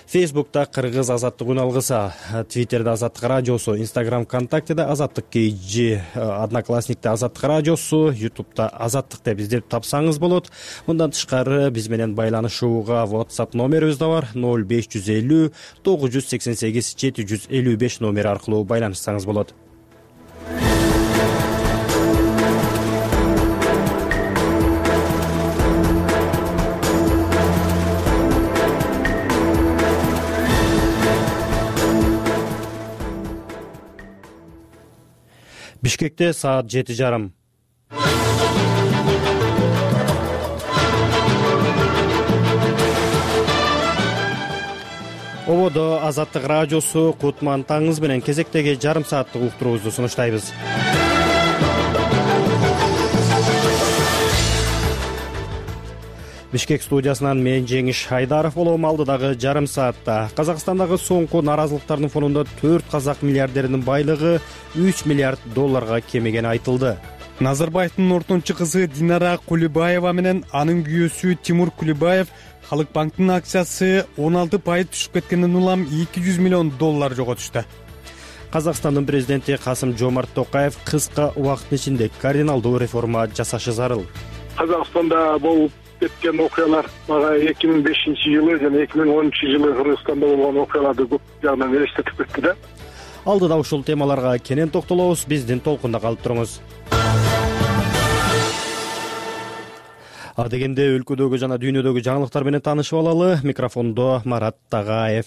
Фейсбукта Кыргыз Азаттык үн алгыса, Твиттерде Азаттык радиосу, Инстаграм, ВКонтактеде Азаттык KG, Одноклассникте Азаттык радиосу, Ютубта Азаттык деп издеп тапсаңыз болот. Мындан тышкары биз менен байланышууга WhatsApp номерибиз да бар. 0550 988 755 номери аркылуу байланышсаңыз болот. Бишкекте саат 7:30. Ободо Азаттык радиосу Кутман таңыңыз менен кезектеги жарым сааттык уктуруубузду сунуштайбыз. Бишкек студиясынан мен Жеңиш Айдаров болом. Алдыдагы жарым саатта Казакстандагы соңку наразылыктардын фонунда 4 казак миллиардеринин байлыгы 3 миллиард долларга кемегени айтылды. Назарбаевдин ортончу кызы Динара Кулибаева менен анын күйөөсү Тимур Кулибаев Халык банктын акциясы 16% түшүп кеткенден улам 200 миллион доллар жоготушту. Казакстандын президенти Касым Жомарт Токаев кыска убакыттын ичинде кардиналдуу реформа жасашы зарыл. Казакстанда болуп кеткен окуялар мага 2005-жылы жана 2010-жылы Кыргызстанда болгон окуяларды көп жагынан элестетип кетти да. Алдыда ушул темаларга кенен токтолобуз. Биздин толкунда калып туруңуз. Дегенде өлкөдөгү жана дүйнөдөгү жаңылыктар менен таанышып алалы. Микрофондо Марат Тагаев.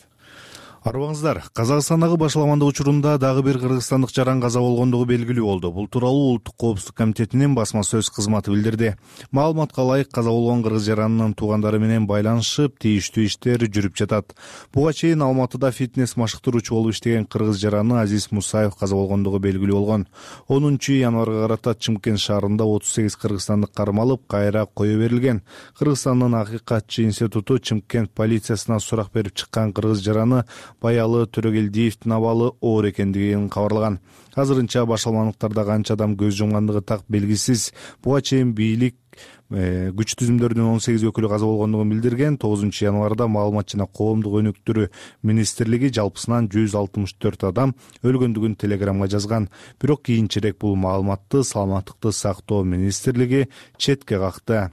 Арыбаңыздар, Казакстандагы башаламандык учурунда дагы бир кыргызстандык жаран каза болгондугу белгилүү болду. Бул тууралуу Улуттук коопсуздук комитетинин басма сөз кызматы билдирди. Маалыматка ылайык, каза болгон кыргыз жаранынын туугандары менен байланышып, тийиштүү иштер жүрүп жатат. Буга чейин Алматыда фитнес машыктыруучу болуп иштеген кыргыз жараны Азиз Мусаев каза болгондугу белгилүү болгон. 10-январга карата Чымкент шаарында 38 кыргызстандык кармалып, кайра кое берилген. Кыргызстандын Акыйкатчы институту Чымкент полициясына сурак берип чыккан кыргыз жараны Баялы Төрөгелдиевдин абалы оор экендигин кабарлаган. Азырынча башаламандыктарда канча адам көз жумгандыгы так белгисиз. Буга чейин бийлик күч түзүмдөрүнүн 18 өкүлү каза болгондугун билдирген. 9-январда маалымат жана коомдук өнүктүрүү министрлиги жалпысынан 164 адам өлгөндүгүн телеграмга жазган. Бирок кийинчерээк бул маалыматты Саламаттыкты сактоо министрлиги четке какты.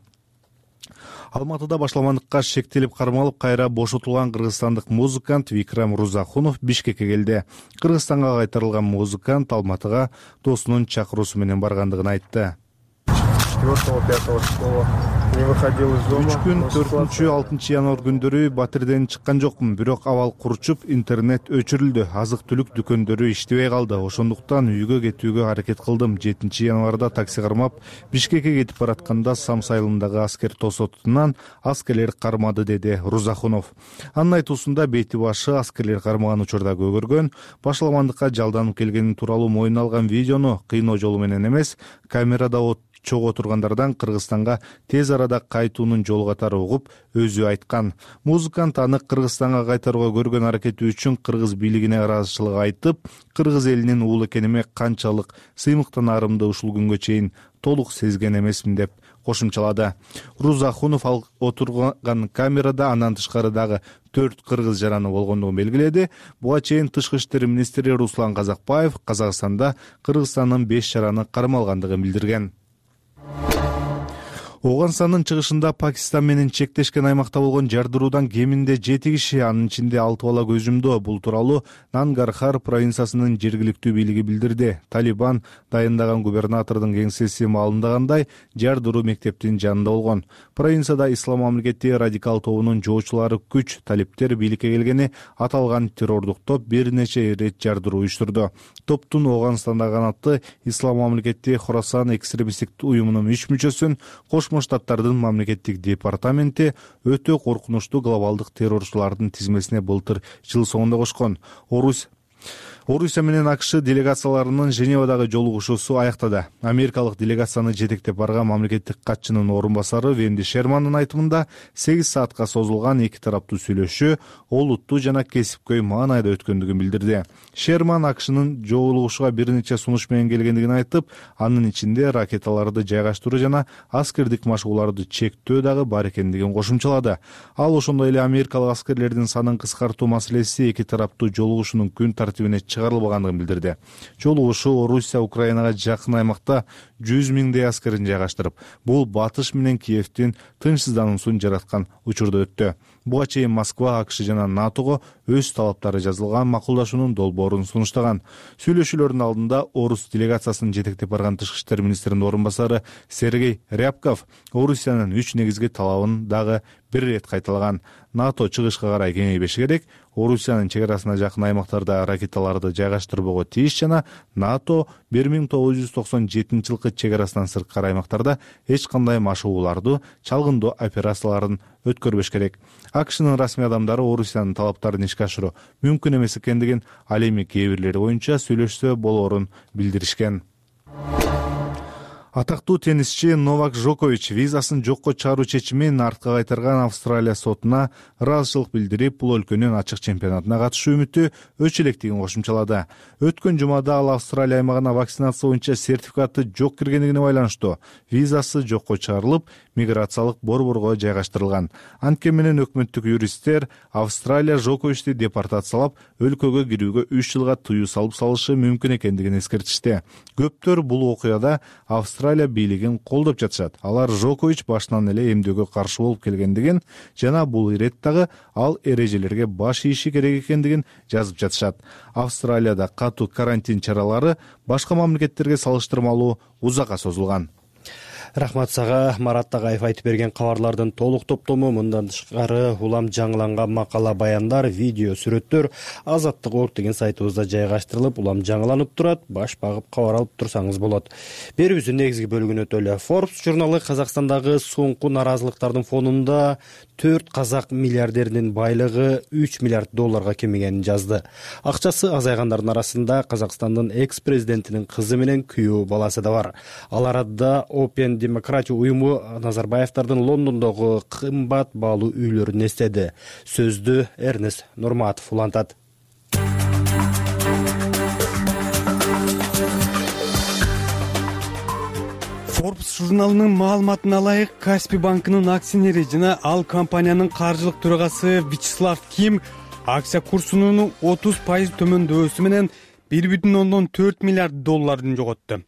Алматыда башаламандыкка шектелип кармалып, кайра бошотулган кыргызстандык музыкант Викрам Рузахунов Бишкекке келди. Кыргызстанга кайтарылган музыкант Алматыга досунун чакыруусу менен баргандыгын айтты. 4-5 числа не выходил из дома. 3 күн 4-6 январ күндөрү батирден чыккан жокмун, бирок абал курчуп, интернет өчүрүлдү. Азык-түлүк дүкөндөрү иштебей калды. Ошондуктан үйгө кетүүгө аракет кылдым. 7-январда такси кармап, Бишкекке кетип баратканда Самс айылындагы аскер тосотунан аскерлер кармады, деди Рузахунов. Анын айтуусунда бети башы аскерлер кармаган учурда көгөргөн, башаламандыкка жалданып келгени тууралуу мойнуна алган видеону кыйноо жолу менен эмес, камерада чогуу отургандардан Кыргызстанга тез арада кайтуунун жол катары угуп, өзү айткан. Музыкант аны Кыргызстанга кайтарууга көргөн аракети үчүн кыргыз бийлигине ыраазычылык айтып, кыргыз элинин уулу экениме канчалык сыймыктанаарымды ушул күнгө чейин толук сезген эмесмин деп кошумчалады. Рузахунов отурган камерада андан тышкары дагы 4 кыргыз жараны болгондугун белгиледи. Буга чейин Тышкы иштер министри Руслан Казакбаев Казакстанда Кыргызстандын 5 жараны кармалгандыгын билдирген. Оганстандын чыгышында Пакистан менен чектешкен аймакта болгон жардыруудан кеминде 7 киши, анын ичинде 6 бала көз жумду. Бул тууралуу Нангархар провинциясынын жергиликтүү бийлиги билдирди. Талибан дайындаган губернатордун кеңсеси маалымдагандай, жардыруу мектептин жанында болгон. Провинцияда Ислам мамлекети радикал тобунун жоочулары күч талиптер бийликке келгени аталган террордук топ бир нече ирет жардыруу уюштурду. Топтун Оганстандагы канаты Ислам мамлекети Хорасан экстремисттик уюмунун 3 мүчөсүн, кош Коошмо Штаттардын мамлекеттик департаменти өтө коркунучтуу глобалдык террорчулардын тизмесине былтыр жыл соңунда кошкон. Орусия менен АКШ делегацияларынын Женевадагы жолугушуусу аяктады. Америкалык делегацияны жетектеп барган мамлекеттик катчынын орун басары Венди Шермандын айтымында 8 саатка созулган эки тараптуу сүйлөшүү олуттуу жана кесипкөй маанайда өткөндүгүн билдирди. Шерман АКШнын жолугушууга бир нече сунуш менен келгендигин айтып, анын ичинде ракеталарды жайгаштыруу жана аскердик машыгууларды чектөө дагы бар экендигин кошумчалады. Ал ошондой эле америкалык аскерлердин санын кыскартуу маселеси эки тараптуу жолугушуунун күн тартибине чыгарылбагандыгын билдирди. Жолугушуу Орусия Украинага жакын аймакта 100 миңдей аскерин жайгаштырып, бул батыш менен Киевдин тынчсыздануусун жараткан учурда өттү. Буга чейин Москва АКШ жана НАТОго өз талаптары жазылган макулдашуунун долбоорун сунуштаган. Сүйлөшүүлөрдүн алдында орус делегациясын жетектеп барган тышкы иштер министринин орун басары Сергей Рябков Орусиянын 3 негизги талабын дагы бир ирет кайталаган. НАТО чыгышка карай кеңейбеши керек, Орусиянын чек арасына жакын аймактарда ракеталарды жайгаштырбого тийиш жана НАТО 1997-жылкы чек арасынан сырткары аймактарда эч кандай машыгууларды, чалгындоо операцияларын өткөрбөш керек. АКШнын расмий адамдары Орусиянын талаптарын ишке ашыруу мүмкүн эмес экендигин, ал эми кээ бирлери боюнча сүйлөшсө болоорун билдиришкен. Атактуу теннисчи Новак Джокович визасын жокко чыгаруу чечимин артка кайтарган Австралия сотуна ыраазычылык билдирип, бул өлкөнүн ачык чемпионатына катышуу үмүтү өчө электигин кошумчалады. Өткөн жумада ал Австралия аймагына вакцинация боюнча сертификаты жок киргендигине байланыштуу визасы жокко чыгарылып, миграциялык борборго жайгаштырылган. Анткени менен өкмөттүк юристтер Австралия Джоковичти депортациялап, өлкөгө кирүүгө 3 жылга тыюу салып салышы мүмкүн экендигин эскертишти. Көптөр бул окуяда Австралия бийлигин колдоп жатышат. Алар Джокович башынан эле эмдөөгө каршы болуп келгендигин жана бул иреттагы ал эрежелерге баш ийиши керек экендигин жазып жатышат. Австралияда катуу карантин чаралары башка мамлекеттерге салыштырмалуу узакка созулган. Рахмат сага. Марат Тагаев айтып берген кабарлардын толук топтому мындан тышкары улам жаңыланган макала, баяндар, видео, сүрөттөр Азаттык.org деген сайтыбызда жайгаштырылып, улам жаңыланып турат. Баш багып кабар алып турсаңыз болот. Берүүбүздүн негизги бөлүгүнө өтөлү. Forbes журналы Казакстандагы соңку наразылыктардын фонунда 4 казак миллиардеринин байлыгы 3 миллиард долларга кемигенин жазды. Акчасы азайгандардын арасында Казакстандын экс-президентинин кызы менен күйөө баласы да бар. Ал арада Open Демократия уюму Назарбаевдардын Лондондогу кымбат баалуу үйлөрүн эстеди. Сөздү Эрнест Нурматов улантат. Forbes журналынын маалыматына ылайык, Каспий банкынын акционери жана ал компаниянын каржылык төрагасы Вячеслав Ким акция курсунун 30% төмөндөсү менен 1,4 миллиард долларын жоготту.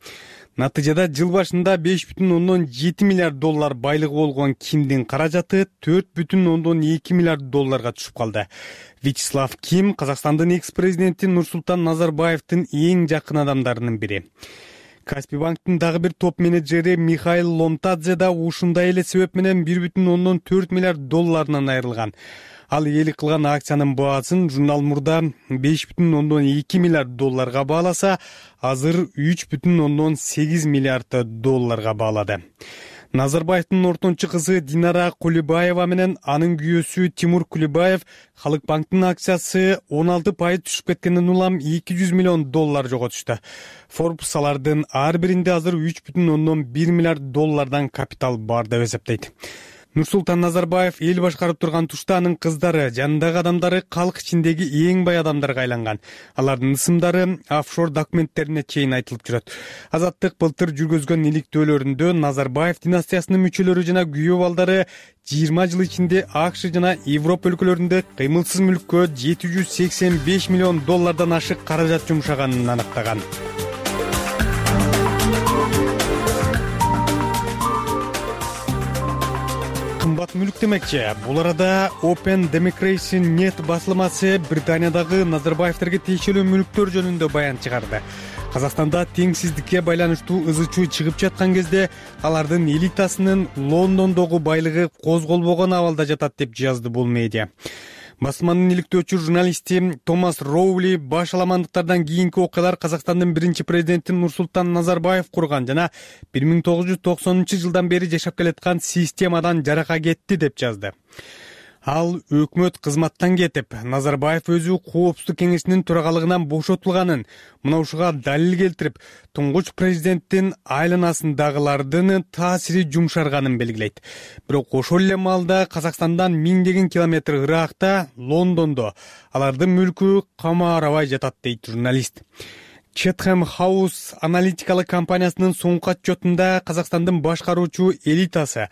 Натыйжада жыл башында 5,7 миллиард доллар байлыгы болгон Кимдин каражаты 4,2 миллиард долларга түшүп калды. Вячеслав Ким Казакстандын экс-президенти Нурсултан Назарбаевдин эң жакын адамдарынын бири. Каспий банктын дагы бир топ менеджери Михаил Ломтадзе да ушундай эле себеп менен 1,4 миллиард долларынан айрылган. Ал ээлик кылган акциянын баасын журнал мурда 5,2 миллиард долларга бааласа, азыр 3,8 миллиард долларга баалады. Назарбаевдин ортончу кызы Динара Кулибаева менен анын күйөөсү Тимур Кулибаев Халык банктын акциясы 16% түшүп кеткенден улам 200 миллион доллар жоготушту. Forbes алардын ар биринде азыр 3,1 миллиард доллардан капитал бар деп эсептейт. Нурсултан Назарбаев эл башкарып турган тушта анын кыздары, жанындагы адамдары калк ичиндеги эң бай адамдарга айланган. Алардын ысымдары офшор документтерине чейин айтылып жүрөт. Азаттык былтыр жүргүзгөн иликтөөлөрүндө Назарбаев династиясынын мүчөлөрү жана күйөө балдары 20 жыл ичинде АКШ жана Европа өлкөлөрүндө кыймылсыз мүлккө 785 миллион доллардан ашык каражат жумшаганын аныктаган. Кымбат мүлк демекчи. Бул арада Open Democracy Net басылмасы Британиядагы Назарбаевтерге тиешелүү мүлктөр жөнүндө баян чыгарды. Казакстанда теңсиздикке байланыштуу ызы-чуу чыгып жаткан кезде алардын элитасынын Лондондогу байлыгы козголбогон абалда жатат деп жазды бул медиа. басманын иликтөөчү журналисти Томас Роули башаламандыктардан кийинки окуялар Казакстандын биринчи президенти Нурсултан Назарбаев курган жана 1990-жылдан бери жашап келаткан системадан жарака кетти деп жазды. Ал өкмөт кызматтан кетип, Назарбаев өзү Коопсуздук кеңешинин төрагалыгынан бошотулганын, мына ушуга далил келтирип, туңгуч президенттин айланасындагылардын таасири жумшарганын белгилейт. Бирок ошол эле маалда Казакстандан миңдеген километр ыракта, Лондондо алардын мүлкү камаарабай жатат дейт журналист. Chatham House аналитикалык компаниясынын соңку отчетунда Казакстандын башкаруучу элитасы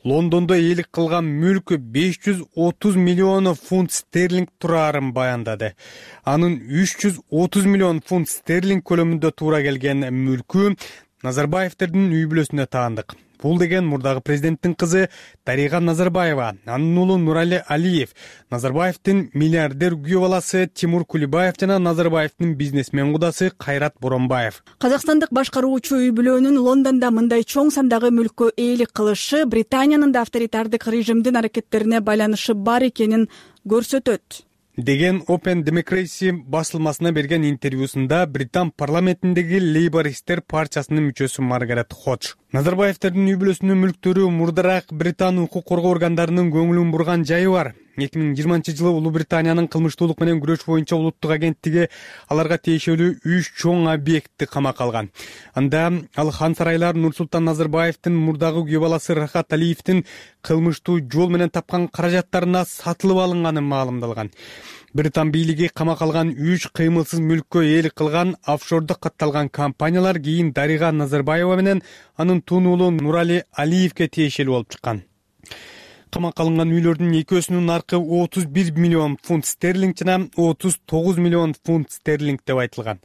Лондондо ээлик кылган мүлкү 530 миллион фунт стерлинг турарын баяндады. Анын 330 миллион фунт стерлинг көлөмүндө туура келген мүлкү Назарбаевтердин үй бүлөсүнө таандык. Бул деген мурдагы президенттин кызы Дарига Назарбаева, анын уулу Нурали Алиев, Назарбаевдин миллиардер күйөө баласы Тимур Кулибаев жана Назарбаевдин бизнесмен кудасы Кайрат Боронбаев. Казакстандык башкаруучу үй бүлөнүн Лондондо мындай чоң сандагы мүлккө ээлик кылышы Британиянын да авторитардык режимдин аракеттерине байланышы бар экенин көрсөтөт деген Open Democracy басылмасына берген интервьюсунда Британ парламентиндеги Лейбористтер партиясынын мүчөсү Маргарет Ходж. Назарбаевтердин үй бүлөсүнүн мүлктөрү мурдараак Британ укук коргоо органдарынын көңүлүн бурган жайы бар. 2020-жылы Улуу Британиянын кылмыштуулук менен күрөш боюнча улуттук агенттиги аларга тиешелүү 3 чоң объектти камакка алган. Анда ал хан сарайлар Нурсултан Назарбаевдин мурдагы күйөө баласы Рахат Алиевдин кылмыштуу жол менен тапкан каражаттарына сатылып алынганы маалымдалган. Британ бийлиги камакка алган 3 кыймылсыз мүлккө ээлик кылган офшордо катталган компаниялар кийин Дарига Назарбаева менен анын тун уулу Нурали Алиевге тиешелүү болуп чыккан. Камакка алынган үйлөрдүн экөөсүнүн наркы 31 миллион фунт стерлинг жана 39 миллион фунт стерлинг деп айтылган.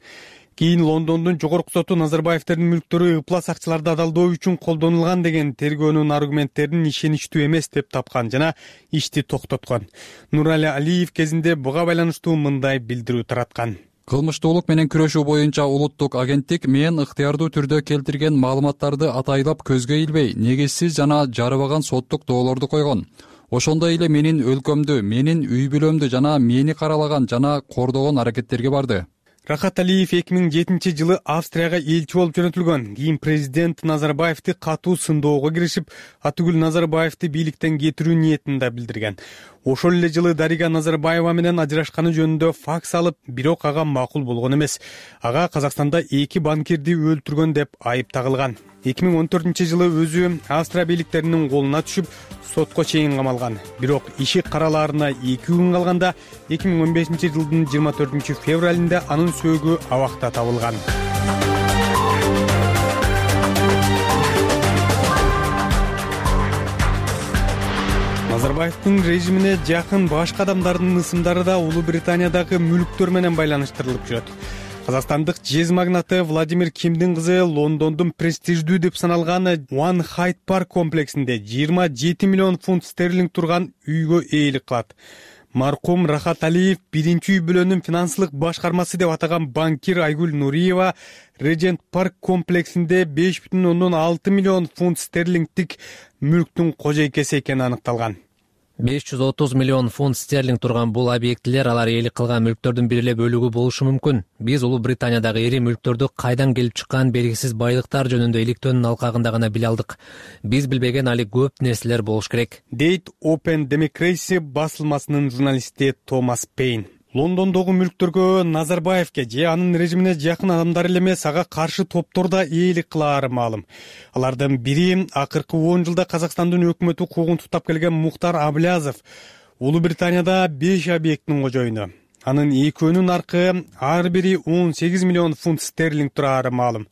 Кийин Лондондун жогорку соту Назарбаевтердин мүлктөрү ыплас акчаларды адалдоо үчүн колдонулган деген тергөөнүн аргументтерин ишеничтүү эмес деп тапкан жана ишти токтоткон. Нурали Алиев кезинде буга байланыштуу мындай билдирүү тараткан. Кылмыштуулук менен күрөшүү боюнча улуттук агенттик мен ыктыярдуу түрдө келтирген маалыматтарды атайлап көзгө илбей, негизсиз жана жарыбаган соттук доолорду койгон. Ошондой эле менин өлкөмдү, менин үй бүлөмдү жана мени каралаган жана кордогон аракеттерге барды. Рахат Алиев 2007-жылы Австрияга элчи болуп жөнөтүлгөн. Кийин президент Назарбаевди катуу сындоого киришип, атүгүл Назарбаевди бийликтен кетирүү ниетин да билдирген. Ошол эле жылы Дарига Назарбаева менен ажырашканы жөнүндө факс алып, бирок ага макул болгон эмес. Ага Казакстанда 2 банкирди өлтүргөн деп айып тагылган. 2014-жылы өзү Австрия бийликтеринин колуна түшүп, сотко чейин камалган. Бирок иши каралаарына 2 күн калганда 2015-жылдын 24-февралында анын сөөгү абакта табылган. Назарбаевдин режимине жакын башка адамдардын ысымдары да Улуу Британиядагы мүлктөр менен байланыштырылып жүрөт. Казакстандык жез магнаты Владимир Кимдин кызы Лондондун престиждүү деп саналган One Hyde Park комплексинде 27 миллион фунт стерлинг турган үйгө ээлик кылат. Маркум Рахат Алиев биринчи үй бүлөнүн финансылык башкармасы деп атаган банкир Айгүл Нуриева Regent Park комплексинде 5,6 миллион фунт стерлингдик мүлктүн кожойкеси экени аныкталган. 530 миллион фунт стерлинг турган бул объектилер алар ээлик кылган мүлктөрдүн бир эле бөлүгү болушу мүмкүн. Биз Улуу Британиядагы ири мүлктөрдү кайдан келип чыккан белгисиз байлыктар жөнүндө иликтөөнүн алкагында гана биле алдык. Биз билбеген али көп нерселер болуш керек, дейт Open Democracy басылмасынын журналисти Томас Пейн. Лондондогу мүлктөргө Назарбаевке же анын режимине жакын адамдар эле эмес, ага каршы топтор да ээлик кылаары маалым. Алардын бири акыркы 10 жылда Казакстандын өкмөтү куугунтуктап келген Мухтар Аблязов. Улуу Британияда 5 объекттин кожоюну. Анын экөөнүн наркы ар бири 18 миллион фунт стерлинг турары маалым.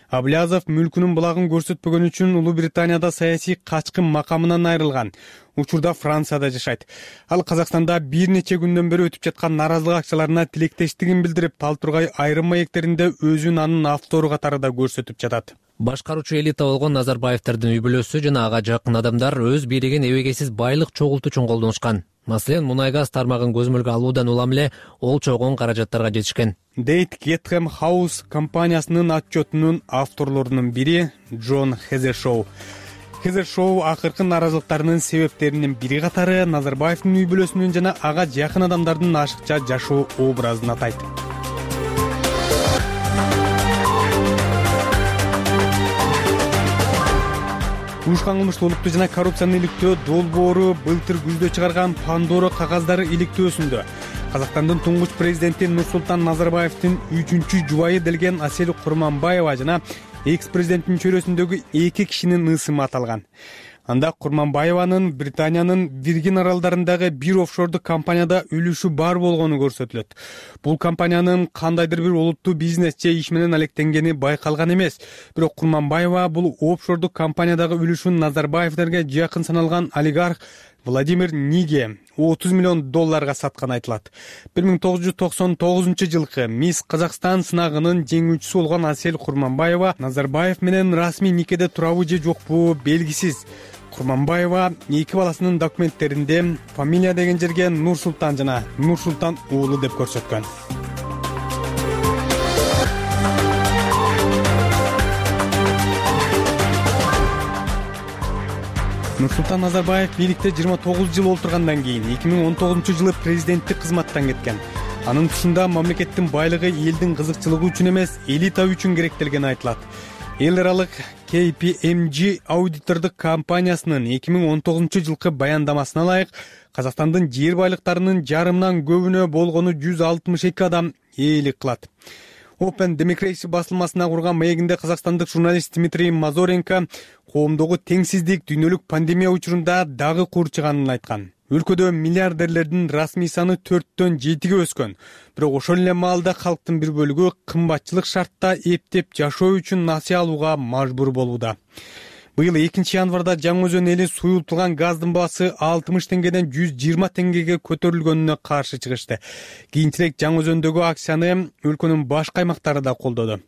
Аблязов мүлкүнүн булагын көрсөтпөгөн үчүн Улуу Британияда саясий качкын макамынан айрылган. Учурда Францияда жашайт. Ал Казакстанда бир нече күндөн бери өтүп жаткан наразылык акчаларына тилектештигин билдирип, Талтургай айрым маектеринде өзүн анын автору катары да көрсөтүп жатат. Башкаруучу элита болгон Назарбаевтердин үй бүлөсү жана ага жакын адамдар өз бийлигин эбегейсиз байлык чогултуу үчүн колдонушкан. Маселен, мунай-газ тармагын көзөмөлгө алуудан улам эле ол чогон каражаттарга жетишкен, дейт Chatham House компаниясынын отчетунун авторлорунун бири Джон Хезешоу. Кызыр шоу акыркы нааразылыктарынын себептеринин бири катары Назарбаевдин үй бүлөсүнүн жана ага жакын адамдардын ашыкча жашоо образын атайт. Уюшкан кылмыштуу олуттуу жана коррупцияны иликтөө долбоору былтыр күздө чыгарган Пандора кагаздары иликтөөсүндө Казакстандын туңгуч президенти Нурсултан Назарбаевдин 3-чү жубайы делген Асель Курманбаева жана экс-президенттин чөйрөсүндөгү 2 кишинин ысымы аталган. Анда Курманбаеванын Британиянын Виргин аралдарындагы бир офшордук компанияда үлүшү бар болгону көрсөтүлөт. Бул компаниянын кандайдыр бир олуттуу бизнес же иш менен алектенгени байкалган эмес. Бирок Курманбаева бул офшордук компаниядагы үлүшүн Назарбаевдерге жакын саналган олигарх Владимир Ниге $30 миллион сатканы айтылат. 1999-жылкы Мисс Казакстан сынагынын жеңүүчүсү болгон Асель Курманбаева Назарбаев менен расмий никеде турабы же жокпу белгисиз. Курманбаева 2 баласынын документтеринде фамилия деген жерге Нурсултан жана Нурсултан уулу деп көрсөткөн. Нурсултан Назарбаев бийликте 29 жыл олтургандан кийин 2019-жылы президенттик кызматтан кеткен. Анын тушунда мамлекеттин байлыгы элдин кызыкчылыгы үчүн эмес, элита үчүн керектелгени айтылат. Эл аралык KPMG аудитордук компаниясынын 2019-жылкы баяндамасына ылайык Казакстандын жер байлыктарынын жарымынан көбүнө болгону 162 адам ээлик кылат. Open Democracy басылмасына курган маегинде казакстандык журналист Дмитрий Мазоренко коомдогу теңсиздик дүйнөлүк пандемия учурунда дагы курчуганын айткан. Өлкөдө миллиардерлердин расмий саны 4-төн 7-ге өскөн. Бирок ошол эле маалда калктын бир бөлүгү кымбатчылык шартта эптеп жашоо үчүн насыя алууга мажбур болууда. Быйыл 2-январда Жаңы Өзөн эли суюлтулган газдын баасы 60 теңгеден 120 теңгеге көтөрүлгөнүнө каршы чыгышты. Кийинчерээк Жаңы Өзөндөгү акцияны өлкөнүн башка аймактары да колдоду.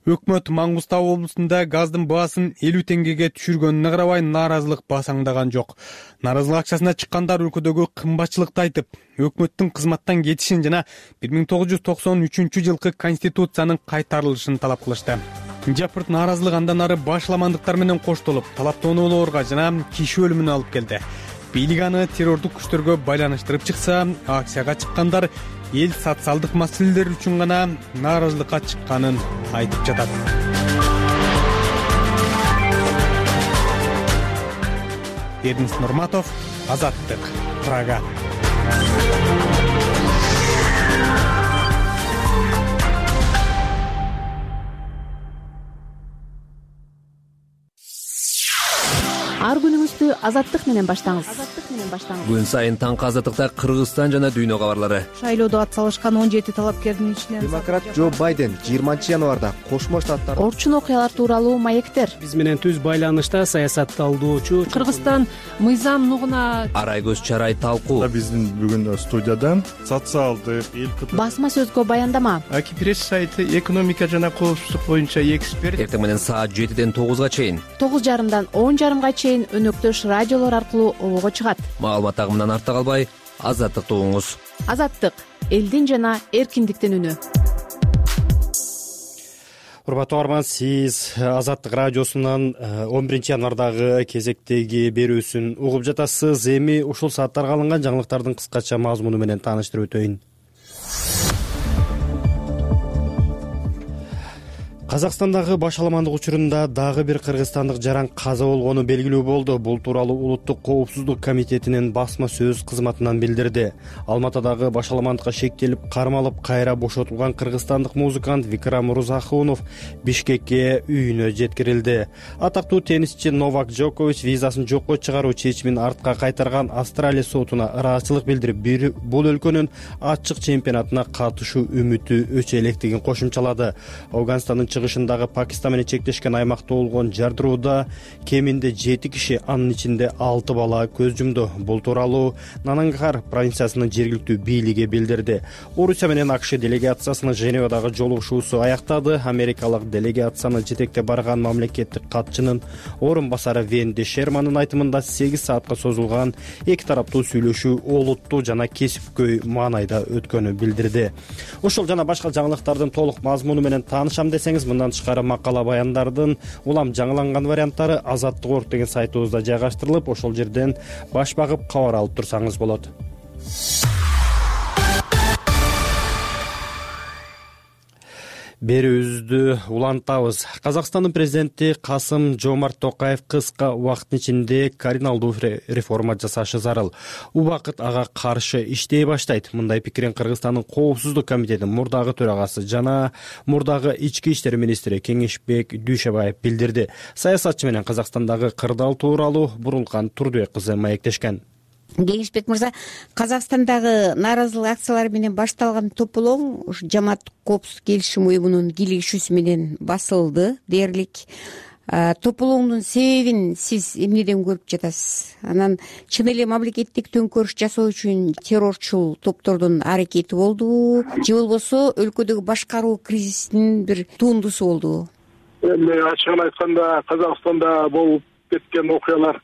Өкмөт Маңгыстау облусунда газдын баасын 50 теңгеге түшүргөнүнө карабай нааразылык басаңдаган жок. Нааразылык акциясына чыккандар өлкөдөгү кымбатчылыкты айтып, өкмөттүн кызматтан кетишин жана 1993-жылкы конституциянын кайтарылышын талап кылышты. Жапырт нааразылык андан ары башламандыктар менен коштолуп, талаптоонуулорго жана киши өлүмүнө алып келди. Бийлик аны террордук күчтөргө байланыштырып чыкса, акцияга чыккандар эл социалдык маселелер үчүн гана нааразылыкка чыкканын айтып жатат. Эрнест Нурматов, Азаттык, Прага. Ар күнүңүздү Азаттык менен баштаңыз. Күн сайын таңкы Азаттыкта Кыргызстан жана дүйнө кабарлары. Шайлоодо ат салышкан 17 талапкердин ичинен демократ Джо Байден 20-январда Кошмо Штаттар орчун окуялар тууралуу маектер. Биз менен түз байланышта саясатталуучу Кыргызстан мыйзам нугуна Арай көз чарай талкуу. Биздин бүгүн студияда социалдык басма сөзгө баяндама. Аки пресс сайты экономика жана коопсуздук боюнча эксперт. Эртең менен саат 7-ден 9-га чейин, 9:30-дан 10:30-га чейин өнөктөш радиолор аркылуу обого чыгат. Маалымат агымынан артта калбай, Азаттыкты угуңуз. Азаттык — элдин жана эркиндиктин үнү. Урматтуу арман, сиз Азаттык радиосунан 11-январдагы кезектеги берүүсүн угуп жатасыз. Эми ушул сааттарга алынган жаңылыктардын кыскача мазмуну менен тааныштырып өтөйүн. Казакстандагы башаламандык учурунда дагы бир кыргызстандык жаран каза болгону белгилүү болду. Бул тууралуу Улуттук коопсуздук комитетинин басма сөз кызматынан билдирди. Алматыдагы башаламандыкка шектелип, кармалып, кайра бошотулган кыргызстандык музыкант Викрам Мурзахунов Бишкекке үйүнө жеткирилди. Атактуу теннисчи Новак Джокович визасын жокко чыгаруу чечимин артка кайтарган Австралия сотуна ыраазычылык билдирип, бул өлкөнүн ачык чемпионатына катышуу үмүтү өчө электигин кошумчалады. Афганстандын чыгышындагы Пакистан менен чектешкен аймакта болгон жардырууда кеминде 7 киши, анын ичинде 6 бала көз жумду. Бул тууралуу Нангархар провинциясынын жергиликтүү бийлиги билдирди. Орусия менен АКШ делегациясынын Женевадагы жолугушуусу аяктады. Америкалык делегацияны жетектеп барган мамлекеттик катчынын орун басары Венди Шермандын айтымында 8 саатка созулган эки тараптуу сүйлөшүү олуттуу жана кесипкөй маанайда өткөнү билдирди. Ушул жана башка жаңылыктардын толук мазмуну менен таанышам десеңиз, Мындан тышкары макала баяндардын улам жаңыланган варианттары Азаттык.org деген сайтыбызда жайгаштырылып, ошол жерден баш багып кабар алып турсаңыз болот. Берүүбүздү улантабыз. Казакстандын президенти Касым-Жомарт Токаев кыска убакыттын ичинде кардиналдуу реформа жасашы зарыл. Убакыт ага каршы иштей баштайт. Мындай пикирин Кыргызстандын Коопсуздук комитетинин мурдагы төрагасы жана мурдагы ички иштер министри Кеңешбек Дүйшөбаев билдирди. Саясатчы менен Казакстандагы кырдаал тууралуу Бурулкан Турдубек кызы маектешкен. Кеңешбек мырза, Казакстандагы нааразылык акциялары менен башталган тополоң ушу жамаат Коопсуздук келишим уюмунун кийлигишүүсү менен басылды дээрлик. Тополоңдун себебин сиз эмнеден көрүп жатасыз? Анан чын эле мамлекеттик төңкөрүш жасоо үчүн террорчул топтордун аракети болдубу же болбосо өлкөдөгү башкаруу кризисинин бир тундусу болдубу? Эми ачыгын айтканда Казакстанда болуп кеткен окуялар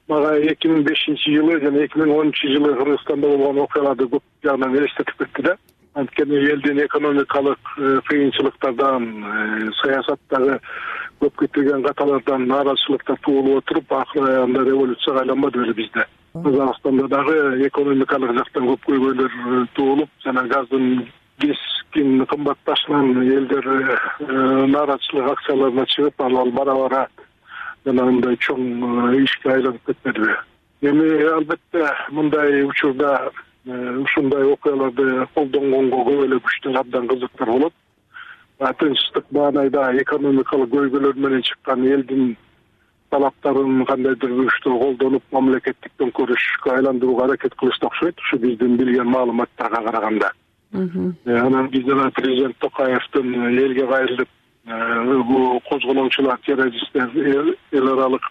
мага 2005-жылы жана 2010-жылы Кыргызстанда болгон окуяларды көп жагынан элестетип кетти да. Анткени элдин экономикалык кыйынчылыктардан, саясаттагы көп кетирген каталардан нааразычылыктар туулуп отуруп, акыры аягында революцияга айланбады беле бизде. Казакстанда дагы экономикалык жактан көп көйгөйлөр туулуп, жана газдын кескин кымбатташынан элдер нааразычылык акцияларына чыгып, ал бара-бара жана мындай чоң ишке айланып кетпедиби? Эми албетте мындай учурда ушундай окуяларды колдонгонго көп эле күчтөр абдан кызыктар болот. Тынчтык маанайда экономикалык көйгөйлөр менен чыккан элдин талаптарын кандайдыр бир күчтөр колдонуп, мамлекеттик төңкөрүшкө айландырууга аракет кылышты окшойт, ушу биздин билген маалыматтарга караганда. Анан биз жана президент Токаевдин элге кайрылып бул козголоочулар, террористтер эл аралык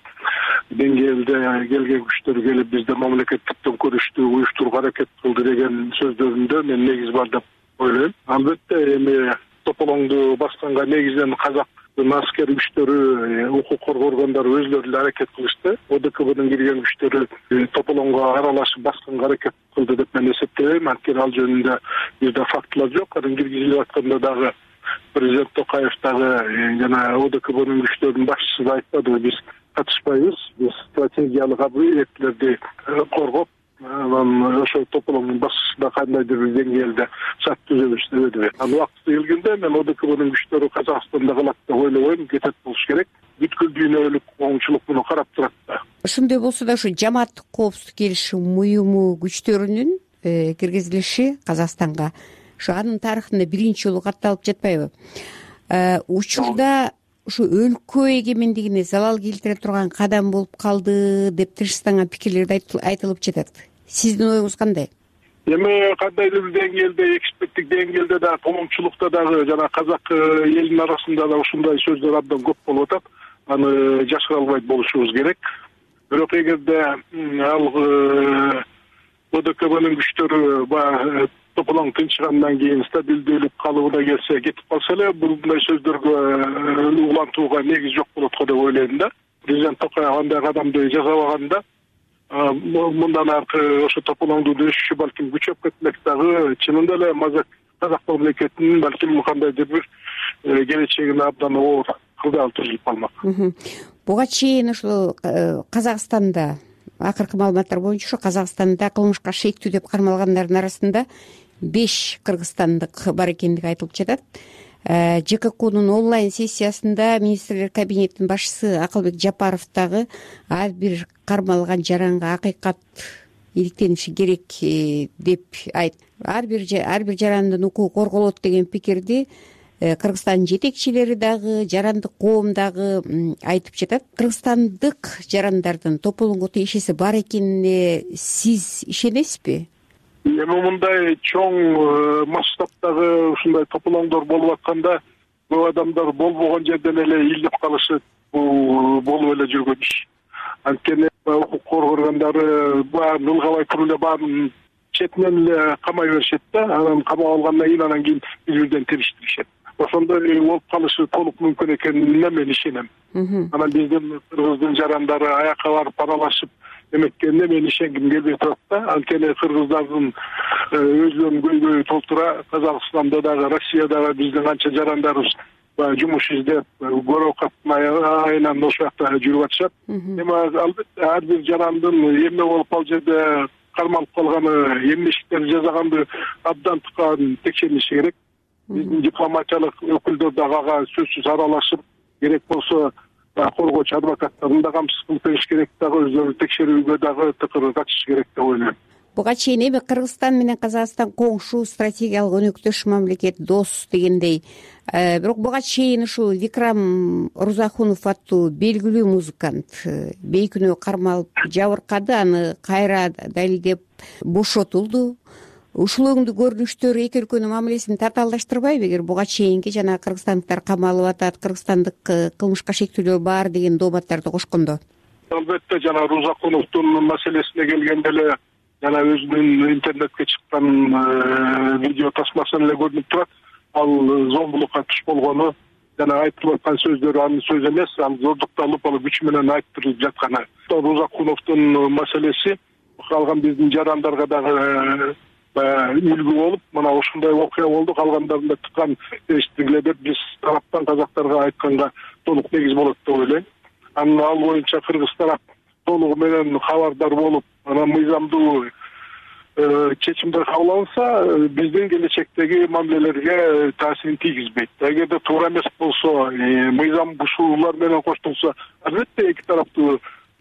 деңгээлде келген күчтөр келип бизде мамлекеттик төңкөрүштү уюштурууга аракет кылды деген сөздөрүндө мен негиз бар деп ойлойм. Албетте эми тополоңду басканга негизинен казактын аскер күчтөрү, укук коргоо органдары өзлөрү эле аракет кылышты. ОДКБнын кирген күчтөрү тополоңго аралашып басканга аракет кылды деп мен эсептейм. Анткени ал жөнүндө бизде фактылар жок. Анан киргизилип атканда дагы президент Токаев дагы жана ОДКБнын күчтөрүнүн башчысы да айтпадыбы, биз катышпайбыз, биз стратегиялык объектилерди коргоп, анан ошол тополоңдун башчысына кандайдыр бир деңгээлде шарт түзөбүз дебедиби. Анан убакыты келгенде мен ОДКБнын күчтөрү Казакстанда калат деп ойлобойм, кетет болуш керек. Бүткүл дүйнөлүк коомчулук муну карап турат да. Ошондой болсо да ушу жамааттык Коопсуздук келишим уюму күчтөрүнүн киргизилиши Казакстанга ушу анын тарыхында биринчи жолу катталып жатпайбы? Учурда ушу өлкө эгемендигине залал келтире турган кадам болуп калды деп тынчсызданган пикирлер айтылып жатат. Сиздин оюңуз кандай? Эми кандайдыр бир деңгээлде, эксперттик деңгээлде да, коомчулукта дагы жана казак элинин арасында да ушундай сөздөр абдан көп болуп атат. Аны жашыра албайт болушубуз керек. Бирок эгерде ал ОДКБнын күчтөрү тополоң тынчыгандан кийин стабилдүүлүк калыбына келсе, кетип калса эле, мындай сөздөргө улантууга негиз жок болот го деп ойлойм да. Президент Токаев андай кадамды жасабаганда, мындан аркы ошо тополоңдун өсүшү балким күчөп кетмек дагы, чынында эле казак мамлекетинин балким кандайдыр бир келечегине абдан оор кырдаал түзүлүп калмак. Буга чейин ушул Казакстанда акыркы маалыматтар боюнча ушу Казакстанда кылмышка шектүү деп кармалгандардын арасында 5 кыргызстандык бар экендиги айтылып жатат. ЖККнун онлайн сессиясында министрлер кабинетинин башчысы Акылбек Жапаров дагы ар бир кармалган жаранга акыйкат иликтениши керек деп айтты. Ар бир жарандын укугу корголот деген пикирди Кыргызстандын жетекчилери дагы, жарандык коом дагы айтып жатат. Кыргызстандык жарандардын тополоңго тиешеси бар экенине сиз ишенесизби? Эми мындай чоң масштабтагы ушундай тополоңдор болуп атканда, көп адамдар болбогон жерден эле илдеп калышы бул болуп эле жүргөн иш. Анткени укук коргоо органдары баарын ылгабай туруп эле баарын четинен эле камай беришет да, анан камап алгандан анан кийин биз-бирден териштиришет. Ошондой болуп калышы толук мүмкүн экенине мен ишенем. Анан биздин кыргыздын жарандары аякка барып аралашып эметкенине мен ишенгим келбей турат да. Анткени кыргыздардын өзүнүн көйгөйү толтура, Казакстанда дагы, Россиядагы биздин канча жарандарыбыз жумуш издеп көрө каттын айынан ошол жакта жүрүп атышат. Эми албетте ар бир жарандын эмне болуп ал жерде кармалып калганы, эмне иштер жасаганды абдан тыкан текшерилиши керек. Биздин дипломатиялык өкүлдөр дагы ага сөзсүз аралашып, керек болсо коргоочу адвокаттарын да камсыз кылып бериш керек, дагы өздөрү текшерүүгө дагы тыкыр катышыш керек деп ойлойм. Буга чейин эми Кыргызстан менен Казакстан коңшу, стратегиялык өнөктөш мамлекет, дос дегендей. Бирок буга чейин ушул Викрам Рузахунов аттуу белгилүү музыкант бейкүнөө кармалып жабыркады, аны кайра далилдеп бошотулду. Ушул өңдүү көрүнүштөр эки өлкөнүн мамилесин татаалдаштырбайбы? Эгер буга чейинки жана кыргызстандыктар камалып атат, кыргызстандык кылмышка шектүүлөр бар деген дооматтарды кошкондо. Албетте жана Рузакуновдун маселесине келгенде эле жана өзүнүн интернетке чыккан видео тасмасынан эле көрүнүп турат. Ал зомбулукка туш болгону жана айтылып аткан сөздөрү анын сөзү эмес, ал зордукталып, ал күч менен айттырылып жатканы. Рузакуновдун маселеси калган биздин жарандарга дагы үлгү болуп, мына ушундай окуя болду, калгандарында тыккан эштигиле деп биз тараптан казактарга айтканга толук негиз болот деп ойлойм. Анан ал боюнча Кыргыз тарап толугу менен кабардар болуп, анан мыйзамдуу чечимдер кабыл алынса, биздин келечектеги мамилелерге таасирин тийгизбейт. Эгерде туура эмес болсо, мыйзам бушуулар менен коштолсо, албетте эки тараптуу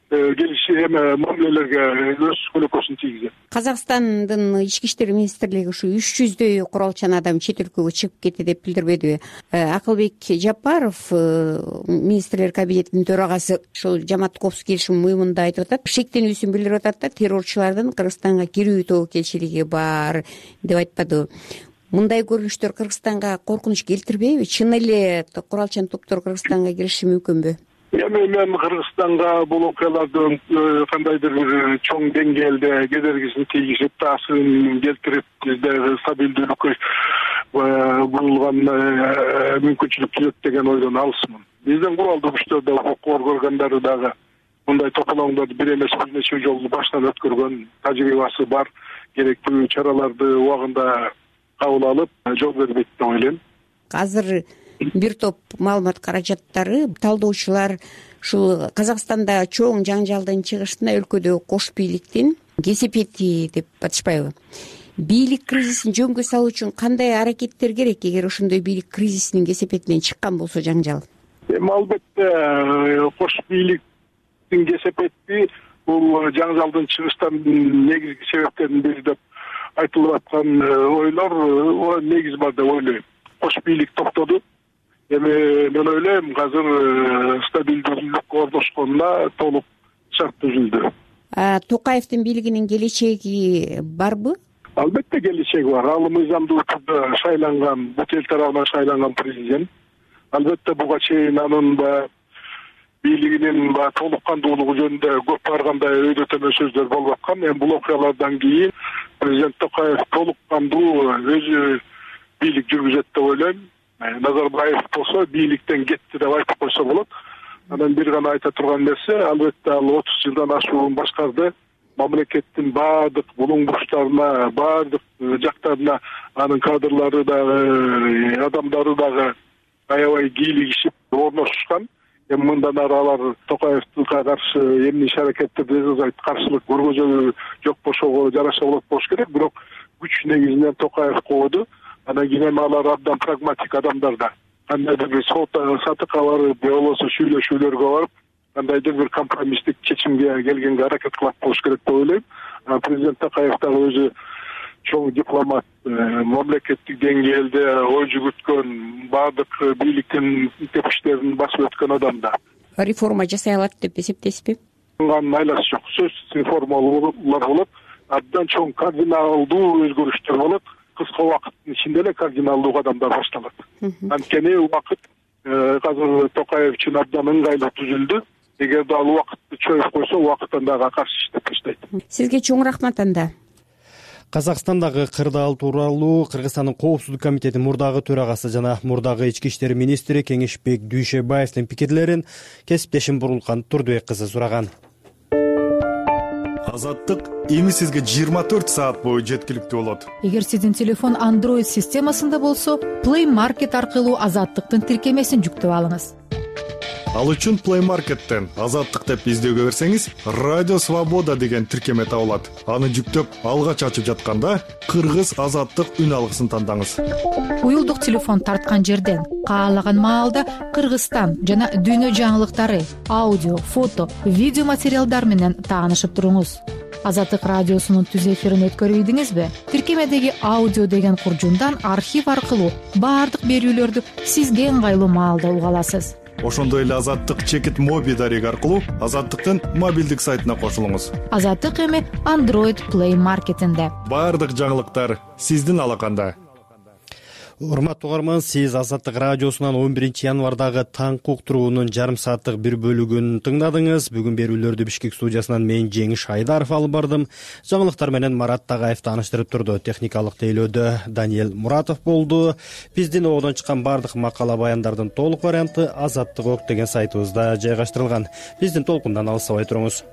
мамилелерге өз көлөкөсүн тийгизет. Казакстандын ички иштер министрлиги ушу 300дөй куралчан адам чет өлкөгө чыгып кетти деп билдирбедиби? Акылбек Жапаров, министрлер кабинетинин төрагасы, ушул жамааттык коопсуздук келишим уюмунда айтып атат, шектенүүсүн билдирип атат да, террорчулардын Кыргызстанга кирүү тобокелчилиги бар деп айтпадыбы? Мындай көрүнүштөр Кыргызстанга коркунуч келтирбейби? Чын эле куралчан топтор Кыргызстанга кириши мүмкүнбү? Эми мен Кыргызстанга бул окуялардын кандайдыр бир чоң деңгээлде кедергисин тийгизип, таасирин келтирип, бизде стабилдүүлүккө бурулган мүмкүнчүлүк түзөт деген ойдон алысмын. Биздин куралдуу күчтөрдө укук органдары дагы мындай тополоңдорду бир эмес бир нече жолу баштан өткөргөн тажрыйбасы бар, керектүү чараларды убагында кабыл алып, жол бербейт деп ойлойм. Азыр бир топ маалымат каражаттары, талдоочулар ушул Казакстанда чоң жаңжалдын чыгышына өлкөдө кош бийликтин кесепети деп атышпайбы? Бийлик кризисин жөнгө салуу үчүн кандай аракеттер керек, эгер ошондой бийлик кризисинин кесепетинен чыккан болсо жаңжал? Эми албетте кош бийликтин кесепети бул жаңжалдын чыгыштан негизги себептердин бири деп айтылып аткан ойлор негиз бар деп ойлойм. Кош бийлик токтоду. Эми мен ойлойм, азыр стабилдүүлүк орношконуна толук шарт түзүлдү. Токаевдин бийлигинин келечеги барбы? Албетте келечеги бар. Ал мыйзамдуу түрдө шайланган, бут эл тарабынан шайланган президент. Албетте буга чейин анын бийлигинин толук кандуулугу жөнүндө көп баргандай өйдөтөмө сөздөр болуп аткан. Эми бул окуялардан кийин президент Токаев толук кандуу өзү бийлик жүргүзөт деп ойлойм. Назарбаев болсо бийликтен кетти деп айтып койсо болот. Анан бир гана айта турган нерсе, албетте ал 30 жылдан ашуун башкарды. Мамлекеттин баардык булуң бурчтарына, баардык жактарына анын кадрлары дагы, адамдары дагы аябай кийлигишип орношушкан. Эми мындан ары алар Токаевге каршы эмне иш-аракеттерди жасайт, каршылык көргөзүү жок бошого жараша болот болуш керек. Бирок күч негизинен Токаев кооду. Анан кийин алар абдан прагматик адамдар да. Кандайдыр бир сатыкка барып, же болбосо сүйлөшүүлөргө барып, кандайдыр бир компромисстик чечимге келгенге аракет кылат болуш керек деп ойлойм. Президент Токаев дагы өзү чоң дипломат, мамлекеттик деңгээлде ой жүгүрткөн, баардык бийликтин тепкичтерин басып өткөн адам да. Реформа жасай алат деп эсептейсизби? Анын айласы жок. Сөзсүз реформалар болот. Абдан чоң кардиналдуу өзгөрүштөр болот. Кыска убакыттын ичинде эле кардиналдуу кадамдар башталат. Анткени убакыт азыр Токаев үчүн абдан ыңгайлуу түзүлдү. Эгерде ал убакытты чоюп койсо, убакыттан дагы каршы иштеп баштайт. Сизге чоң рахмат анда. Казакстандагы кырдаал тууралуу Кыргызстандын коопсуздук комитетинин мурдагы төрагасы жана мурдагы ички иштер министри Кеңешбек Дүйшөбаевдин пикирлерин кесиптешим Бурулкан Турдубек кызы сураган. Азаттык эми сизге 24 саат бою жеткиликтүү болот. Эгер сиздин телефон Android системасында болсо, Play Market аркылуу Азаттыктын тиркемесин жүктөп алыңыз. Ал үчүн Play Market'тен Азаттык деп издөөгө берсеңиз, Радио Свобода деген тиркеме табылат. Аны жүктөп, алгач ачып жатканда Кыргыз Азаттык үн алгысын тандаңыз. Уюлдук телефон тарткан жерден каалаган маалда Кыргызстан жана дүйнө жаңылыктары, аудио, фото, видео материалдар менен таанышып туруңуз. Азаттык радиосунун түз эфирин өткөрбөйдүңүзбү? Тиркемедеги аудио деген куржундан архив аркылуу баардык берүүлөрдү сизге ыңгайлуу маалда уга аласыз. Ошондой эле Азаттык чекит моби дареги аркылуу Азаттыктын мобилдик сайтына кошулуңуз. Азаттык эми Android Play Market'инде. Баардык жаңылыктар сиздин алаканда. Урматтуу угарман, сиз Азаттык радиосунан 11 январдагы таңкы уктуруунун жарым сааттык бир бөлүгүн тыңдадыңыз. Бүгүн берүүлөрдү Бишкек студиясынан мен Жеңиш Айдаров алып бардым. Жаңылыктар менен Марат Тагаев тааныштырып турду. Техникалык тейлөөдө Даниэл Муратов болду. Биздин ободон чыккан баардык макала баяндардын толук варианты Азаттык ок деген сайтыбызда жайгаштырылган. Биздин толкундан алыстабай туруңуз.